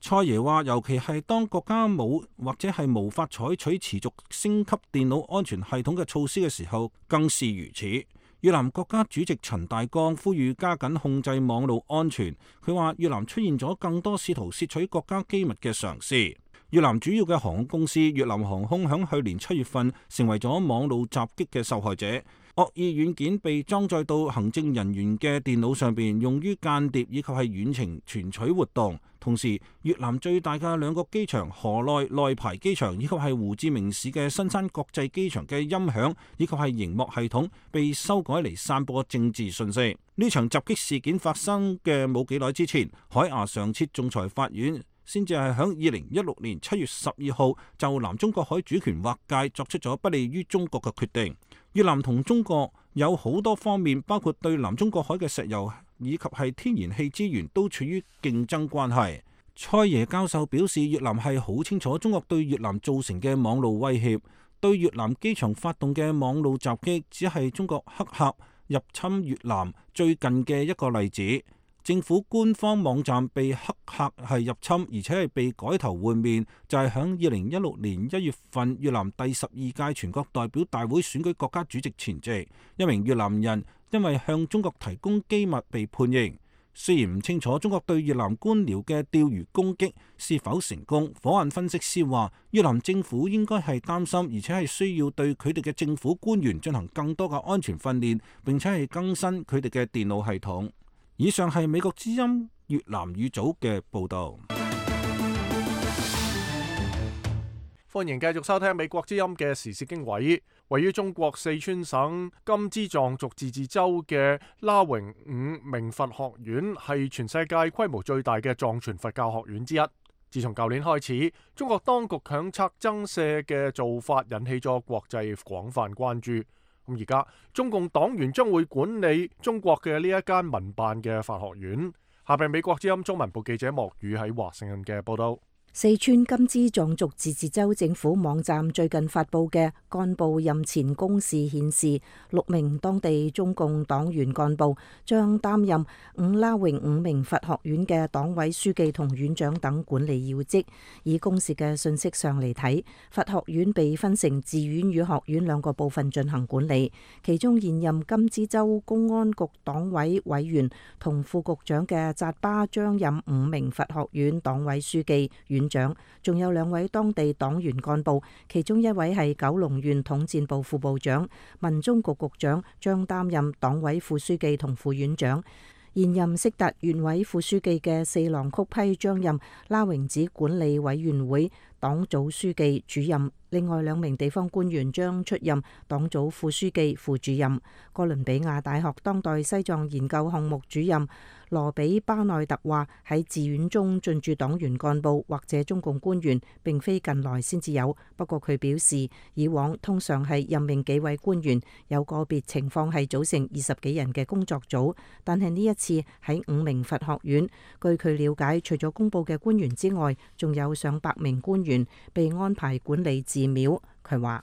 Speaker 7: 蔡耶話，尤其係當國家冇或者係無法採取持續升級電腦安全系統嘅措施嘅時候，更是如此。越南國家主席陳大江呼籲加緊控制網路安全。佢話越南出現咗更多試圖竊取國家機密嘅嘗試。越南主要嘅航空公司越南航空響去年七月份成為咗網路襲擊嘅受害者。惡意軟件被裝載到行政人員嘅電腦上邊，用於間諜以及係遠程傳取活動。同時，越南最大嘅兩個機場河內內排機場以及係胡志明市嘅新山國際機場嘅音響以及係熒幕系統被修改嚟散播政治信息。呢場襲擊事件發生嘅冇幾耐之前，海牙常設仲裁法院先至係響二零一六年七月十二號就南中國海主權劃界作出咗不利於中國嘅決定。越南同中國有好多方面，包括對南中國海嘅石油以及係天然氣資源都處於競爭關係。蔡耶教授表示，越南係好清楚中國對越南造成嘅網路威脅，對越南機場發動嘅網路襲擊只係中國黑客入侵越南最近嘅一個例子。政府官方網站被黑客係入侵，而且係被改頭換面，就係響二零一六年一月份越南第十二屆全國代表大會選舉國家主席前夕，一名越南人因為向中國提供機密被判刑。雖然唔清楚中國對越南官僚嘅釣魚攻擊是否成功，火眼分析師話越南政府應該係擔心，而且係需要對佢哋嘅政府官員進行更多嘅安全訓練，並且係更新佢哋嘅電腦系統。以上係美國之音越南語組嘅報導。
Speaker 2: 歡迎繼續收聽美國之音嘅時事經緯。位於中國四川省甘孜藏族自治州嘅拉榮五明佛學院係全世界規模最大嘅藏傳佛教學院之一。自從舊年開始，中國當局強拆增舍嘅做法引起咗國際廣泛關注。咁而家中共黨員將會管理中國嘅呢一間民辦嘅法學院。下邊美國之音中文部記者莫宇喺華盛頓嘅報道。
Speaker 6: 四川甘孜藏族自治州政府網站最近發布嘅幹部任前公示顯示，六名當地中共黨員幹部將擔任五拉榮五明佛學院嘅黨委書記同院長等管理要職。以公示嘅信息上嚟睇，佛學院被分成寺院與學院兩個部分進行管理，其中現任甘孜州公安局黨委委員同副局長嘅扎巴將任五明佛學院黨委書記院長，仲有兩位當地黨員幹部，其中一位係九龍縣統戰部副部長，民中局局長將擔任黨委副書記同副院長。現任色達縣委副書記嘅四郎曲批將任拉榮寺管理委員會黨組書記主任，另外兩名地方官員將出任黨組副書記、副主任。哥倫比亞大學當代西藏研究項目主任羅比巴內特話：喺寺院中進駐黨員幹部或者中共官員並非近來先至有，不過佢表示以往通常係任命幾位官員，有個別情況係組成二十幾人嘅工作組，但係呢一次喺五明佛學院，據佢了解，除咗公佈嘅官員之外，仲有上百名官員被安排管理寺廟。佢話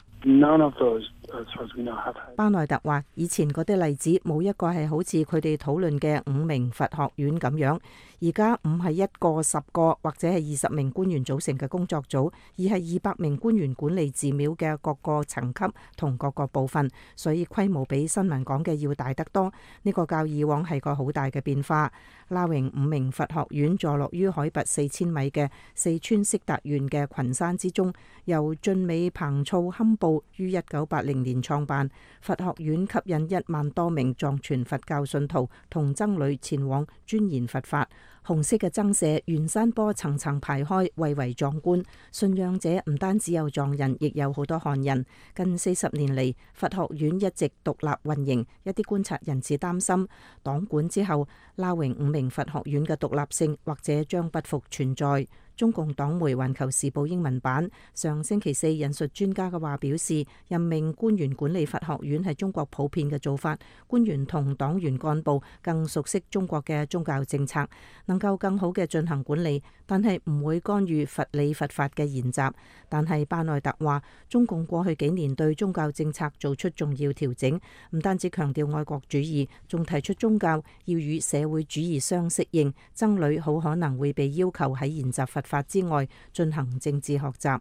Speaker 6: 巴內特話：以前嗰啲例子冇一個係好似佢哋討論嘅五明佛學院咁樣，而家唔係一個、十個或者係二十名官員組成嘅工作組，而係二百名官員管理寺廟嘅各個層級同各個部分，所以規模比新聞講嘅要大得多。呢個較以往係個好大嘅變化。拉榮五明佛學院坐落於海拔四千米嘅四川色達縣嘅群山之中，由晉美彭措堪布於一九八零年創辦。佛學院吸引一萬多名藏傳佛教信徒同僧侶前往鑽研佛法。紅色嘅增舍沿山坡層層排開，蔚為壯觀。信仰者唔單止有藏人，亦有好多漢人。近四十年嚟，佛學院一直獨立運營。一啲觀察人士擔心，黨管之後，撈榮五明佛學院嘅獨立性或者將不復存在。中共黨媒《環球時報》英文版上星期四引述專家嘅話表示，任命官員管理佛學院係中國普遍嘅做法。官員同黨員幹部更熟悉中國嘅宗教政策，能夠更好嘅進行管理，但係唔會干預佛理佛法嘅研習。但係巴內特話，中共過去幾年對宗教政策做出重要調整，唔單止強調愛國主義，仲提出宗教要與社會主義相適應，僧侶好可能會被要求喺研習佛法之外進行政治學習。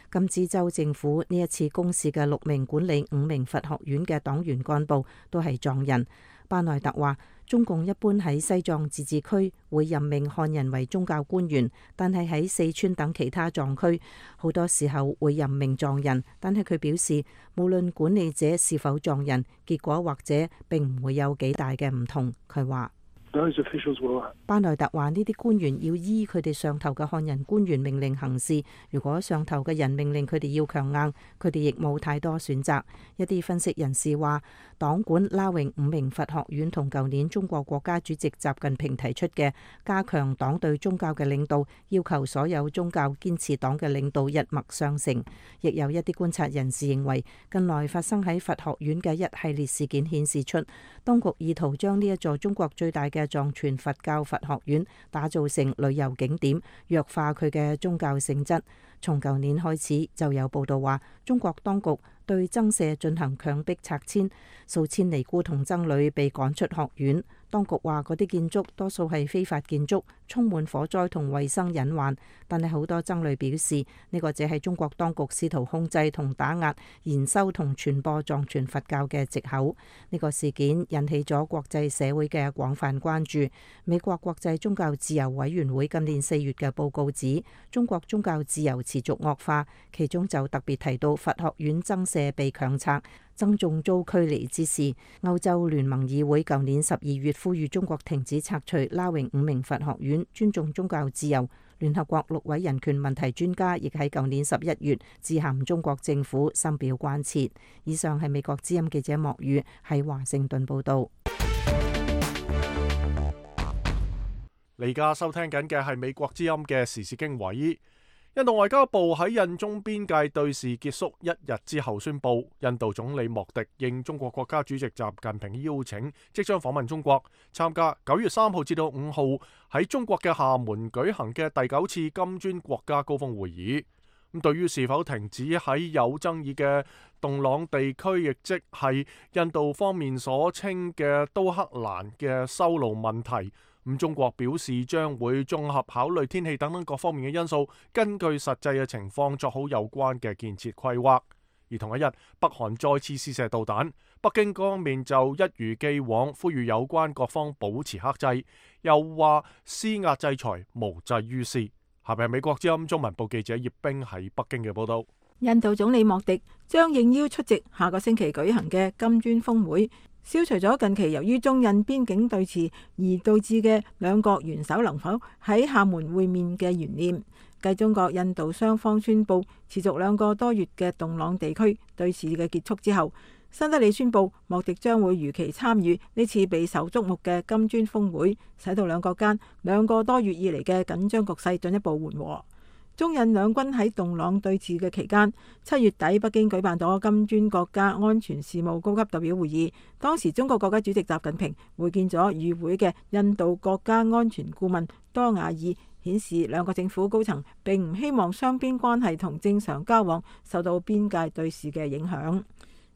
Speaker 6: 甘孜州政府呢一次公示嘅六名管理五明佛學院嘅黨員幹部都係藏人。巴內特話，中共一般喺西藏自治區會任命漢人為宗教官員，但係喺四川等其他藏區好多時候會任命藏人。但係佢表示，無論管理者是否藏人，結果或者並唔會有幾大嘅唔同。佢話巴內特話，呢啲官員要依佢哋上頭嘅漢人官員命令行事。如果上頭嘅人命令佢哋要強硬，佢哋亦冇太多選擇。一啲分析人士話，黨管撈榮五明佛學院同舊年中國國家主席習近平提出嘅加強黨對宗教嘅領導，要求所有宗教堅持黨嘅領導一脈相承。亦有一啲觀察人士認為，近來發生喺佛學院嘅一系列事件顯示出，當局意圖將呢一座中國最大嘅藏傳佛教佛學院打造成旅遊景點，弱化佢嘅宗教性質。從舊年開始就有報道話，中國當局對僧舍進行強迫拆遷，數千尼姑同僧侶被趕出學院。當局話嗰啲建築多數係非法建築，充滿火災同衛生隱患。但係好多僧侶表示，呢個只係中國當局試圖控制同打壓研修同傳播藏傳佛教嘅藉口。呢個事件引起咗國際社會嘅廣泛關注。美國國際宗教自由委員會今年四月嘅報告指，中國宗教自由持續惡化，其中就特別提到佛學院僧舍被強拆，僧眾遭驅離之事。歐洲聯盟議會舊年十二月呼籲中國停止拆除撈榮五明佛學院，尊重宗教自由。聯合國六位人權問題專家亦喺舊年十一月致函中國政府，深表關切。以上係美國之音記者莫宇喺華盛頓報道。
Speaker 2: 你而家收聽緊嘅係美國之音嘅時事經緯。印度外交部喺印中邊界對峙結束一日之後宣布，印度總理莫迪應中國國家主席習近平邀請，即將訪問中國，參加九月三號至到五號喺中國嘅廈門舉行嘅第九次金磚國家高峰會議。咁對於是否停止喺有爭議嘅洞朗地區，亦即係印度方面所稱嘅都克蘭嘅修路問題，咁中國表示將會綜合考慮天氣等等各方面嘅因素，根據實際嘅情況做好有關嘅建設規劃。而同一日，北韓再次試射導彈，北京方面就一如既往呼籲有關各方保持克制，又話施壓制裁無濟於事。下邊係美國之音中文部記者葉冰喺北京嘅報道。
Speaker 10: 印度總理莫迪將應邀出席下個星期舉行嘅金磚峰會，消除咗近期由於中印邊境對峙而導致嘅兩國元首能否喺廈門會面嘅懸念。繼中國印度雙方宣布持續兩個多月嘅洞朗地區對峙嘅結束之後，新德里宣布莫迪將會如期參與呢次備受矚目嘅金磚峰會，使到兩國間兩個多月以嚟嘅緊張局勢進一步緩和。中印兩軍喺洞朗對峙嘅期間，七月底北京舉辦咗金磚國家安全事務高級代表會議，當時中國國家主席習近平會見咗與會嘅印度國家安全顧問多瓦爾，顯示兩個政府高層並唔希望雙邊關係同正常交往受到邊界對峙嘅影響。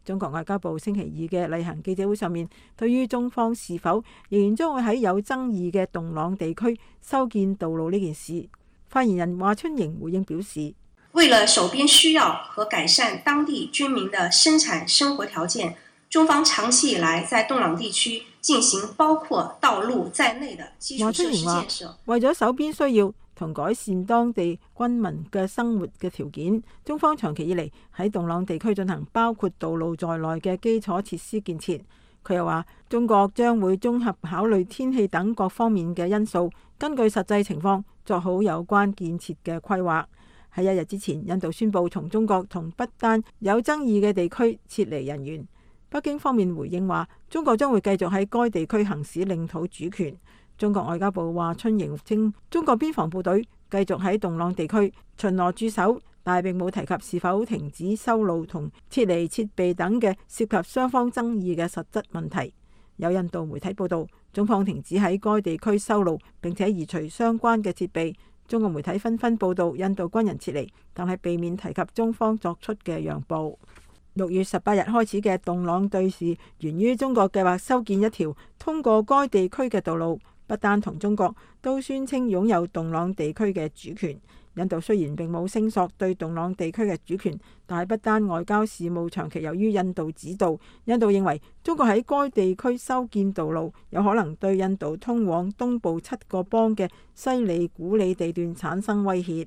Speaker 10: 中國外交部星期二嘅例行記者會上面，對於中方是否仍然將會喺有爭議嘅洞朗地區修建道路呢件事，發言人華春瑩回應表示，
Speaker 11: 為了守邊需要和改善當地居民的生產生活條件，中方長期以來在洞朗地區進行包括道路在內的基礎設施建設。
Speaker 10: 為咗守邊需要同改善當地軍民嘅生活嘅條件，中方長期以嚟喺洞朗地區進行包括道路在內嘅基礎設施建設。佢又話，中國將會綜合考慮天氣等各方面嘅因素，根據實際情況作好有關建設嘅規劃。喺一日之前，印度宣布從中國同不丹有爭議嘅地區撤離人員。北京方面回應話，中國將會繼續喺該地區行使領土主權。中國外交部華春瑩稱，中國邊防部隊繼續喺洞朗地區巡邏駐守，但並冇提及是否停止修路同撤離設備等嘅涉及雙方爭議嘅實質問題。有印度媒體報道，中方停止喺該地區修路，並且移除相關嘅設備。中國媒體紛紛報道印度軍人撤離，但係避免提及中方作出嘅讓步。六月十八日開始嘅洞朗對峙，源於中國計劃修建一條通過該地區嘅道路。不丹同中國都宣稱擁有洞朗地區嘅主權。印度雖然並冇聲索對洞朗地區嘅主權，但係不丹外交事務長期由於印度指導。印度認為中國喺該地區修建道路，有可能對印度通往東部七個邦嘅西里古里地段產生威脅。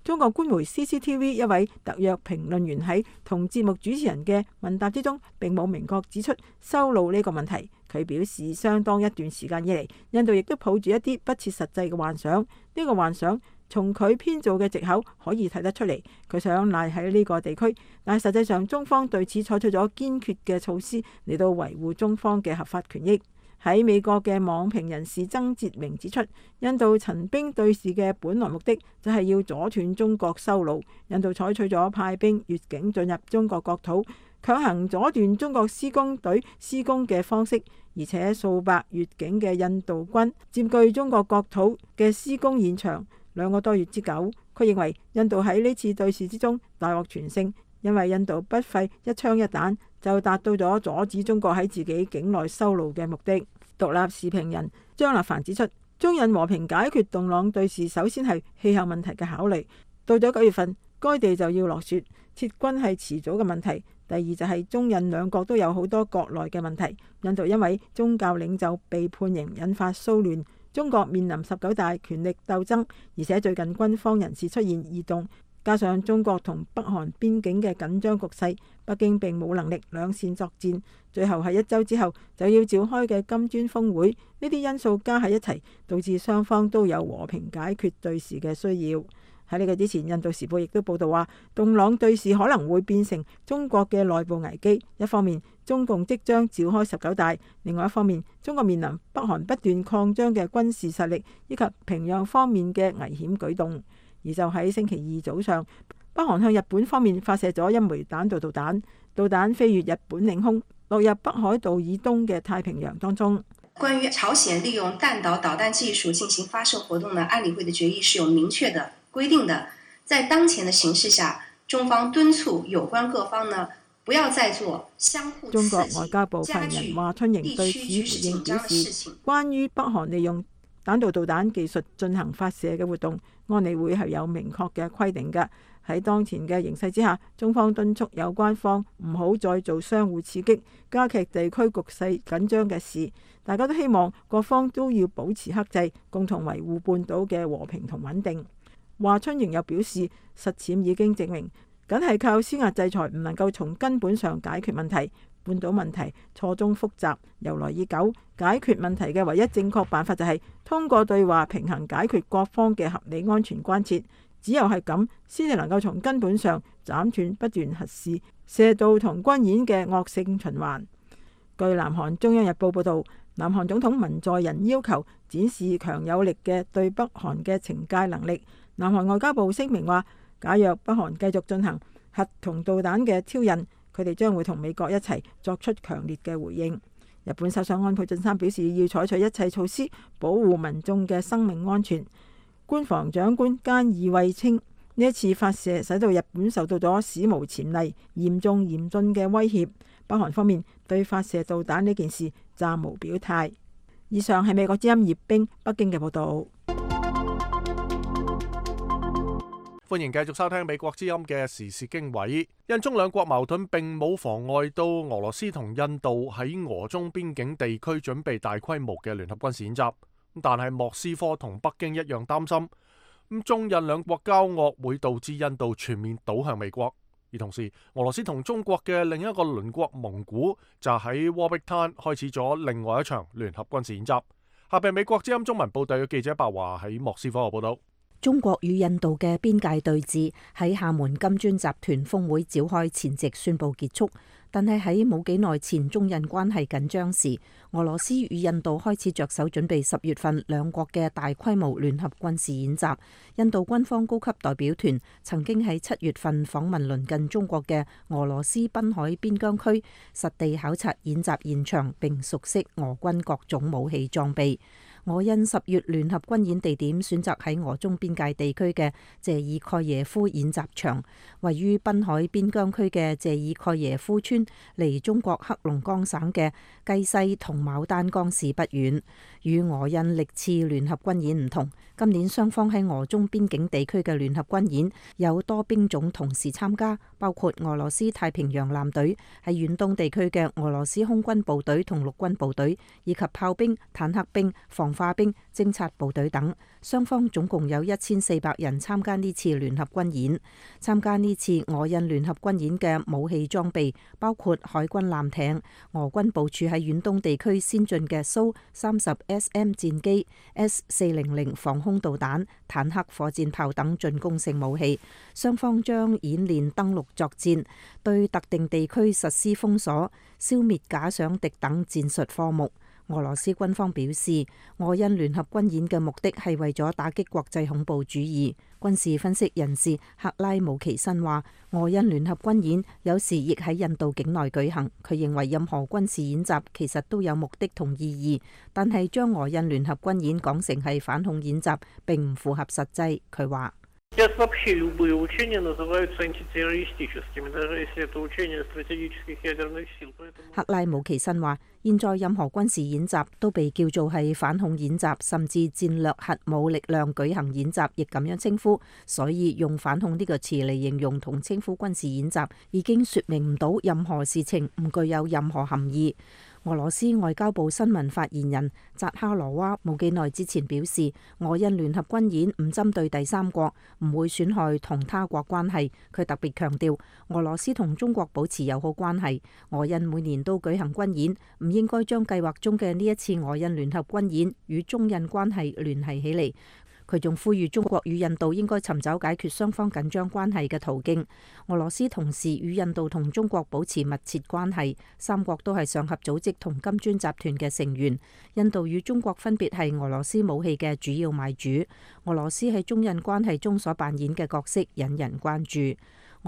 Speaker 10: 中國官媒 C C T V 一位特約評論員喺同節目主持人嘅問答之中，並冇明確指出修路呢個問題。佢表示，相當一段時間以嚟，印度亦都抱住一啲不切實際嘅幻想。呢、這個幻想從佢編造嘅藉口可以睇得出嚟。佢想賴喺呢個地區，但係實際上中方對此採取咗堅決嘅措施嚟到維護中方嘅合法權益。喺美國嘅網評人士曾哲明指出，印度陳兵對峙嘅本來目的就係要阻斷中國修路。印度採取咗派兵越境進入中國國土，強行阻斷中國施工隊施工嘅方式，而且數百越境嘅印度軍佔據中國國土嘅施工現場兩個多月之久。佢認為印度喺呢次對峙之中大獲全勝，因為印度不費一槍一彈就達到咗阻止中國喺自己境內修路嘅目的。獨立視評人張立凡指出，中印和平解決洞朗對峙，首先係氣候問題嘅考慮。到咗九月份，該地就要落雪，撤軍係遲早嘅問題。第二就係中印兩國都有好多國內嘅問題。印度因為宗教領袖被判刑，引發騷亂；中國面臨十九大權力鬥爭，而且最近軍方人士出現異動。加上中國同北韓邊境嘅緊張局勢，北京並冇能力兩線作戰。最後喺一週之後就要召開嘅金磚峰會，呢啲因素加喺一齊，導致雙方都有和平解決對峙嘅需要。喺呢個之前，印度時報亦都報道話，洞朗對峙可能會變成中國嘅內部危機。一方面，中共即將召開十九大；另外一方面，中國面臨北韓不斷擴張嘅軍事實力，以及平壤方面嘅危險舉動。而就喺星期二早上，北韓向日本方面發射咗一枚彈道導彈，導彈飛越日本領空，落入北海道以東嘅太平洋當中。
Speaker 11: 關於朝鮮利用彈道導彈技術進行發射活動呢，安理會的決議是有明確的規定的。在當前的形勢下，中方敦促有關各方呢，不要再做相互刺激、
Speaker 10: 中國外交部發言人華春瑩對此回應表示，關於北韓利用彈道導彈技術進行發射嘅活動，安理會係有明確嘅規定嘅。喺當前嘅形勢之下，中方敦促有關方唔好再做相互刺激、加劇地區局勢緊張嘅事。大家都希望各方都要保持克制，共同維護半島嘅和平同穩定。華春瑩又表示，實踐已經證明，僅係靠施壓制裁唔能夠從根本上解決問題。半島問題錯綜複雜，由來已久，解決問題嘅唯一正確辦法就係通過對話平衡解決各方嘅合理安全關切。只有係咁，先至能夠從根本上斬斷不斷核試、射導同軍演嘅惡性循環。據南韓中央日報報導，南韓總統文在寅要求展示強有力嘅對北韓嘅懲戒能力。南韓外交部聲明話，假若北韓繼續進行核同導彈嘅挑釁，佢哋將會同美國一齊作出強烈嘅回應。日本首相安倍晉三表示，要採取一切措施保護民眾嘅生命安全。官房長官菅義偉稱，呢一次發射使到日本受到咗史無前例、嚴重嚴峻嘅威脅。北韓方面對發射導彈呢件事暫無表態。以上係美國之音葉冰北京嘅報道。
Speaker 2: 歡迎繼續收聽美國之音嘅時事經緯。印中兩國矛盾並冇妨礙到俄羅斯同印度喺俄中邊境地區準備大規模嘅聯合軍事演習，但係莫斯科同北京一樣擔心，咁中印兩國交惡會導致印度全面倒向美國。而同時，俄羅斯同中國嘅另一個鄰國蒙古就喺戈壁灘開始咗另外一場聯合軍事演習。下邊美國之音中文部隊嘅記者白華喺莫斯科嘅報道。
Speaker 6: 中國與印度嘅邊界對峙喺廈門金磚集團峰會召開前夕宣布結束，但係喺冇幾耐前中印關係緊張時，俄羅斯與印度開始着手準備十月份兩國嘅大規模聯合軍事演習。印度軍方高級代表團曾經喺七月份訪問鄰近中國嘅俄羅斯濱海邊疆區，實地考察演習現場並熟悉俄軍各種武器裝備。俄印十月聯合軍演地點選擇喺俄中邊界地區嘅謝爾蓋耶夫演習場，位於濱海邊疆區嘅謝爾蓋耶夫村離中國黑龍江省嘅雞西同牡丹江市不遠。與俄印歷次聯合軍演唔同，今年雙方喺俄中邊境地區嘅聯合軍演有多兵種同時參加，包括俄羅斯太平洋艦隊，喺遠東地區嘅俄羅斯空軍部隊同陸軍部隊，以及炮兵、坦克兵、防化兵、偵察部隊等。雙方總共有一千四百人參加呢次聯合軍演。參加呢次俄印聯合軍演嘅武器裝備包括海軍艦艇、俄軍部署喺遠東地區先進嘅蘇三十 S M 戰機、S 四零零防空導彈、坦克、火箭炮等進攻性武器。雙方將演練登陸作戰、對特定地區實施封鎖、消滅假想敵等戰術科目。俄羅斯軍方表示，俄印聯合軍演嘅目的係為咗打擊國際恐怖主義。軍事分析人士克拉姆奇申話，俄印聯合軍演有時亦喺印度境內舉行。佢認為任何軍事演習其實都有目的同意義，但係將俄印聯合軍演講成係反恐演習並唔符合實際。佢話克拉姆奇申話，現在任何軍事演習都被叫做係反恐演習，甚至戰略核武力量舉行演習亦咁樣稱呼，所以用反恐呢個詞嚟形容同稱呼軍事演習已經說明唔到任何事情，唔具有任何含義。俄羅斯外交部新聞發言人扎哈羅娃冇幾耐之前表示，俄印聯合軍演唔針對第三國，唔會損害同他國關係。佢特別強調，俄羅斯同中國保持友好關係，俄印每年都舉行軍演，唔應該將計劃中嘅呢一次俄印聯合軍演與中印關係聯繫起嚟。佢仲呼籲中國與印度應該尋找解決雙方緊張關係嘅途徑。俄羅斯同時與印度同中國保持密切關係，三國都係上合組織同金磚集團嘅成員。印度與中國分別係俄羅斯武器嘅主要買主。俄羅斯喺中印關係中所扮演嘅角色引人關注。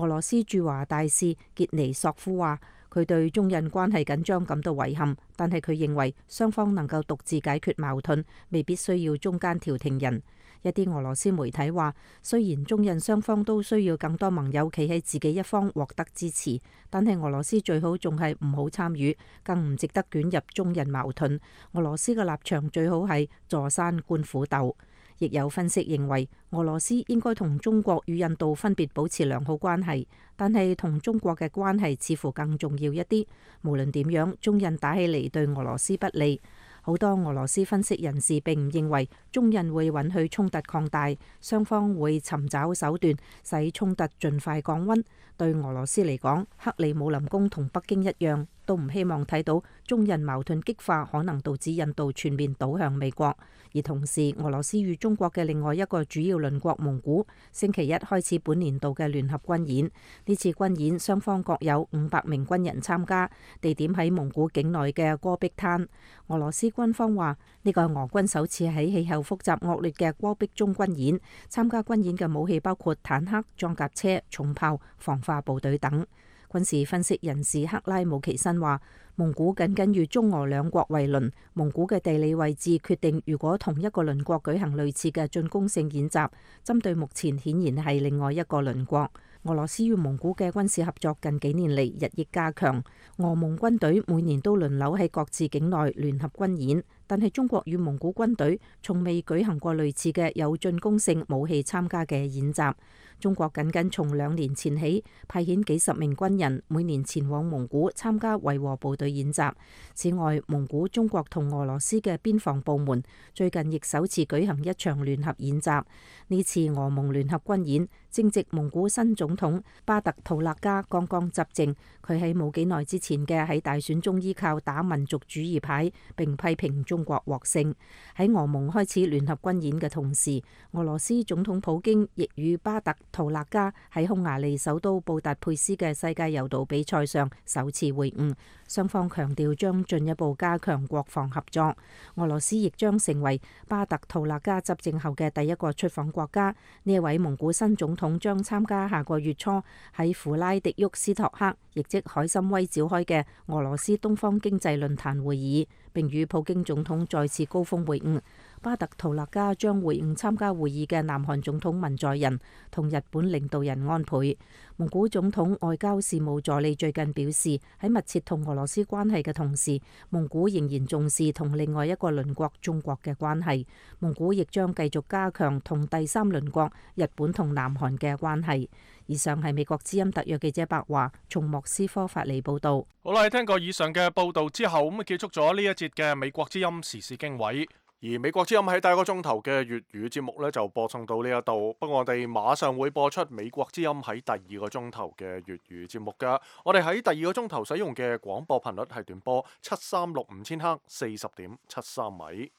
Speaker 6: 俄羅斯駐華大使傑尼索夫話，佢對中印關係緊張感到遺憾，但係佢認為雙方能夠獨自解決矛盾，未必需要中間調停人。一啲俄羅斯媒體話，雖然中印雙方都需要更多盟友企喺自己一方獲得支持，但係俄羅斯最好仲係唔好參與，更唔值得捲入中印矛盾。俄羅斯嘅立場最好係坐山觀虎鬥。亦有分析認為，俄羅斯應該同中國與印度分別保持良好關係，但係同中國嘅關係似乎更重要一啲。無論點樣，中印打起嚟對俄羅斯不利。好多俄羅斯分析人士並唔認為中印會允許衝突擴大，雙方會尋找手段使衝突盡快降溫。對俄羅斯嚟講，克里姆林宮同北京一樣，都唔希望睇到中印矛盾激化，可能導致印度全面倒向美國。而同時，俄羅斯與中國嘅另外一個主要鄰國蒙古，星期一開始本年度嘅聯合軍演。呢次軍演雙方各有五百名軍人參加，地點喺蒙古境內嘅戈壁灘。俄羅斯軍方話，呢個係俄軍首次喺氣候複雜惡劣嘅戈壁中軍演。參加軍演嘅武器包括坦克、裝甲車、重炮、防化部隊等。軍事分析人士克拉姆奇申話，蒙古緊緊與中俄兩國為鄰，蒙古嘅地理位置決定，如果同一個鄰國舉行類似嘅進攻性演習，針對目前顯然係另外一個鄰國。俄羅斯與蒙古嘅軍事合作近幾年嚟日益加強，俄蒙軍隊每年都輪流喺各自境內聯合軍演，但係中國與蒙古軍隊從未舉行過類似嘅有進攻性武器參加嘅演習。中國僅僅從兩年前起派遣幾十名軍人每年前往蒙古參加維和部隊演習。此外，蒙古、中國同俄羅斯嘅邊防部門最近亦首次舉行一場聯合演習。呢次俄蒙聯合軍演正值蒙古新總統巴特圖勒加剛剛執政，佢喺冇幾耐之前嘅喺大選中依靠打民族主義牌，並批評中國獲勝。喺俄蒙開始聯合軍演嘅同時，俄羅斯總統普京亦與巴特圖勒加喺匈牙利首都布達佩斯嘅世界柔道比賽上首次會晤，雙方強調將進一步加強國防合作。俄羅斯亦將成為巴特圖勒加執政後嘅第一個出訪國家。呢一位蒙古新總統將參加下個月初喺弗拉迪沃斯托克，亦即海參崴召開嘅俄羅斯東方經濟論壇會議，並與普京總統再次高峰會晤。巴特圖勒加將會晤參加會議嘅南韓總統文在寅同日本領導人安倍。蒙古總統外交事務助理最近表示，喺密切同俄羅斯關係嘅同時，蒙古仍然重視同另外一個鄰國中國嘅關係。蒙古亦將繼續加強同第三鄰國日本同南韓嘅關係。以上係美國之音特約記者白華從莫斯科發嚟報道。
Speaker 2: 好啦，聽過以上嘅報道之後，咁啊結束咗呢一節嘅美國之音時事經緯。而美國之音喺第一個鐘頭嘅粵語節目呢，就播送到呢一度，不過我哋馬上會播出美國之音喺第二個鐘頭嘅粵語節目噶。我哋喺第二個鐘頭使用嘅廣播頻率係短波七三六五千赫四十點七三米。